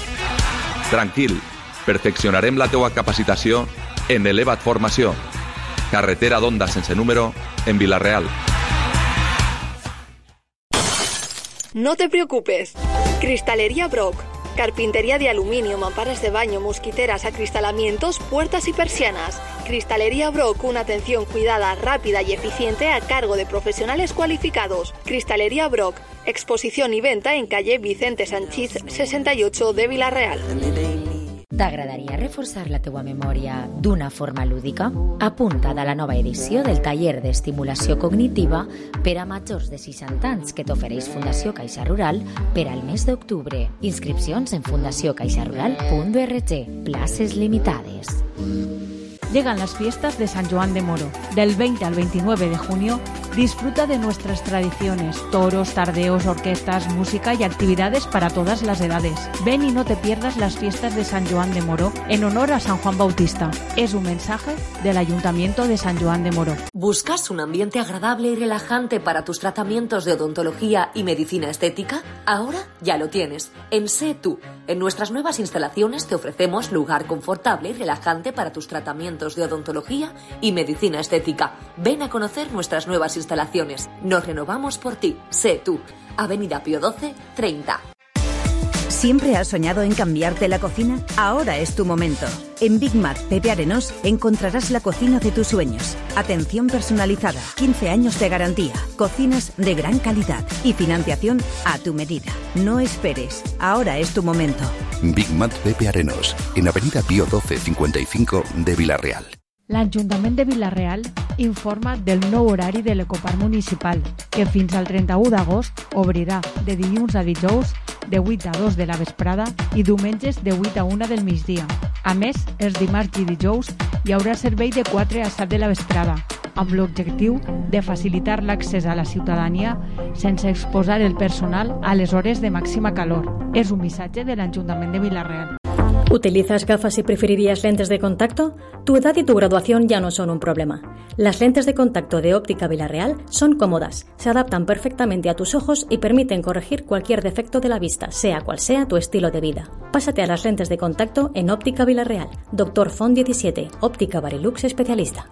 Tranquil, perfeccionarem la teua capacitació en Eleva't Formació. Carretera d'Onda sense número, en Vila-real. No te preocupes. Cristalería Brock. Carpintería de aluminio, mamparas de baño, mosquiteras, acristalamientos, puertas y persianas. Cristalería Brock, una atención cuidada, rápida y eficiente a cargo de profesionales cualificados. Cristalería Brock, exposición y venta en calle Vicente Sanchís 68 de Vila-real. T'agradaria reforçar la teua memòria d'una forma lúdica? Apunta't a la nova edició del taller d'estimulació cognitiva per a majors de 60 anys que t'ofereix Fundació Caixa Rural per al mes d'octubre. Inscripcions en fundaciocaixarural.org. Places limitades. Llegan las fiestas de San Joan de Moro. Del 20 al 29 de junio, disfruta de nuestras tradiciones, toros, tardeos, orquestas, música y actividades para todas las edades. Ven y no te pierdas las fiestas de San Joan de Moro en honor a San Juan Bautista. Es un mensaje del Ayuntamiento de San Joan de Moro. ¿Buscas un ambiente agradable y relajante para tus tratamientos de odontología y medicina estética? Ahora ya lo tienes. En Sé Tú. En nuestras nuevas instalaciones te ofrecemos lugar confortable y relajante para tus tratamientos de odontología y medicina estética. Ven a conocer nuestras nuevas instalaciones. Nos renovamos por ti. Sé Tú. Avenida Pío XII, 30. ¿Siempre has soñado en cambiarte la cocina? Ahora es tu momento. En Big Mac Pepe Arenós encontrarás la cocina de tus sueños. Atención personalizada, 15 años de garantía, cocinas de gran calidad y financiación a tu medida. No esperes, ahora es tu momento. Big Mac Pepe Arenós, en Avenida Pío XII 55 de Vila-real. L'Ajuntament de Vila-real informa del nou horari de l'Ecoparc Municipal, que fins al 31 d'agost obrirà de dilluns a dijous de 8 a 2 de la vesprada i diumenges de 8 a 1 del migdia. A més, els dimarts i dijous hi haurà servei de 4 a 7 de la vesprada, amb l'objectiu de facilitar l'accés a la ciutadania sense exposar el personal a les hores de màxima calor. És un missatge de l'Ajuntament de Vila-real. ¿Utilizas gafas y preferirías lentes de contacto? Tu edad y tu graduación ya no son un problema. Las lentes de contacto de Óptica Vila-real son cómodas, se adaptan perfectamente a tus ojos y permiten corregir cualquier defecto de la vista, sea cual sea tu estilo de vida. Pásate a las lentes de contacto en Óptica Vila-real. Doctor Font 17, Óptica Barilux especialista.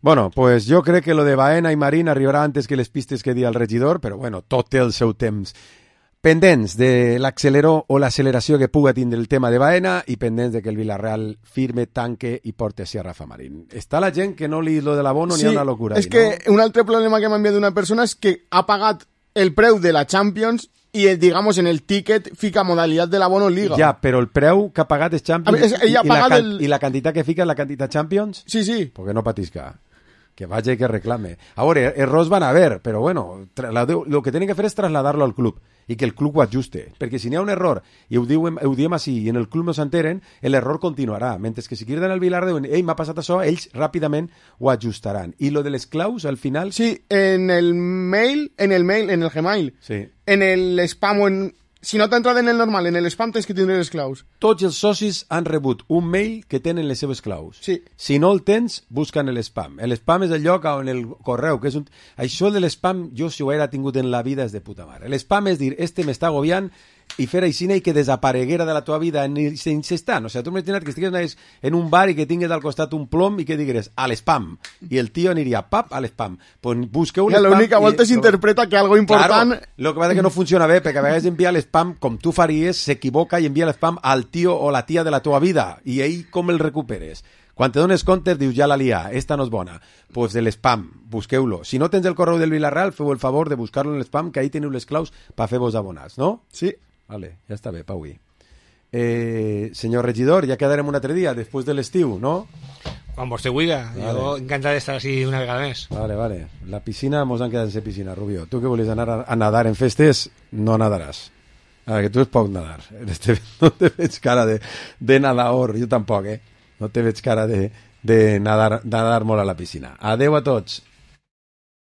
Bueno, pues jo crec que lo de Baena i Marín arribarà antes que les pistes que dia el regidor, però bueno, tot té el seu temps. Pendents de l'acceleró o l'acceleració que puga tindre el tema de Baena i pendents de que el Villarreal firme, tanque i porte a Rafa Marín. Està la gent que no li lo de l'abono ni ha una locura. És que un altre problema que m'ha enviat una persona és que ha pagat el preu de la Champions i, digamos, en el ticket fica modalitat de l'abono Liga. Ja, però el preu que ha pagat és Champions i la quantitat que fica és la quantitat Champions? Sí, sí. Porque no patisca. Que vaya y que reclame. Ahora, errors van a haver, pero bueno, lo que tienen que fer és traslladarlo al club i que el club ho ajuste, perquè si n'hi ha un error i ho diem així i en el club no s'enteren, l'error continuarà, mentre que si criden al Vilar diuen, ei, m'ha passat això, ells ràpidament ho ajustaran. I lo de les claus, al final... Sí, en el Gmail, sí. En el spam o en... Si no t'ha entrat en el normal, en el spam tens que tindre les claus. Tots els socis han rebut un mail que tenen les seves claus. Sí. Si no el tens, busca en l'spam. L'spam és el lloc on el correu, que és un... Això de l'spam, jo si ho haguera tingut en la vida és de puta mare. L'spam és dir, m'està agobiant i fer així i que desapareguera de la teva vida en instant. O sigui, tu m'imagina't que estigues en un bar i que tingues al costat un plom i que digueres a l'spam. I el tio aniria, pap, a l'spam. Pues busqueu l'spam. L'única volta s'interpreta que algo important... Claro, lo que passa que no funciona bé, perquè a vegades envia l'spam com tu faries, s'equivoca i envia l'spam al tio o la tia de la teva vida. I ell com el recuperes? Quan te dones compte dius, ja la lia, esta no és bona. Pues de l'spam, busqueu-lo. Si no tens el correu del Villarreal, feu el favor de buscar-lo en l'spam, que ahí teniu les claus per fer-vos abonats, no? Sí. Vale, ja està bé, Paui. Senyor regidor, ja quedarem un altre dia, després de l'estiu, ¿no? Quan vostè huiga, vale. Jo encantat d'estar així una vegada més. Vale. La piscina, mos han quedat en piscina, Rubio. Tu que volies anar a nadar en festes, no nadaràs. Que tu és poc nadar. No te veig cara de nadador, jo tampoc, No te veig cara de nadar molt a la piscina. Adeu a tots.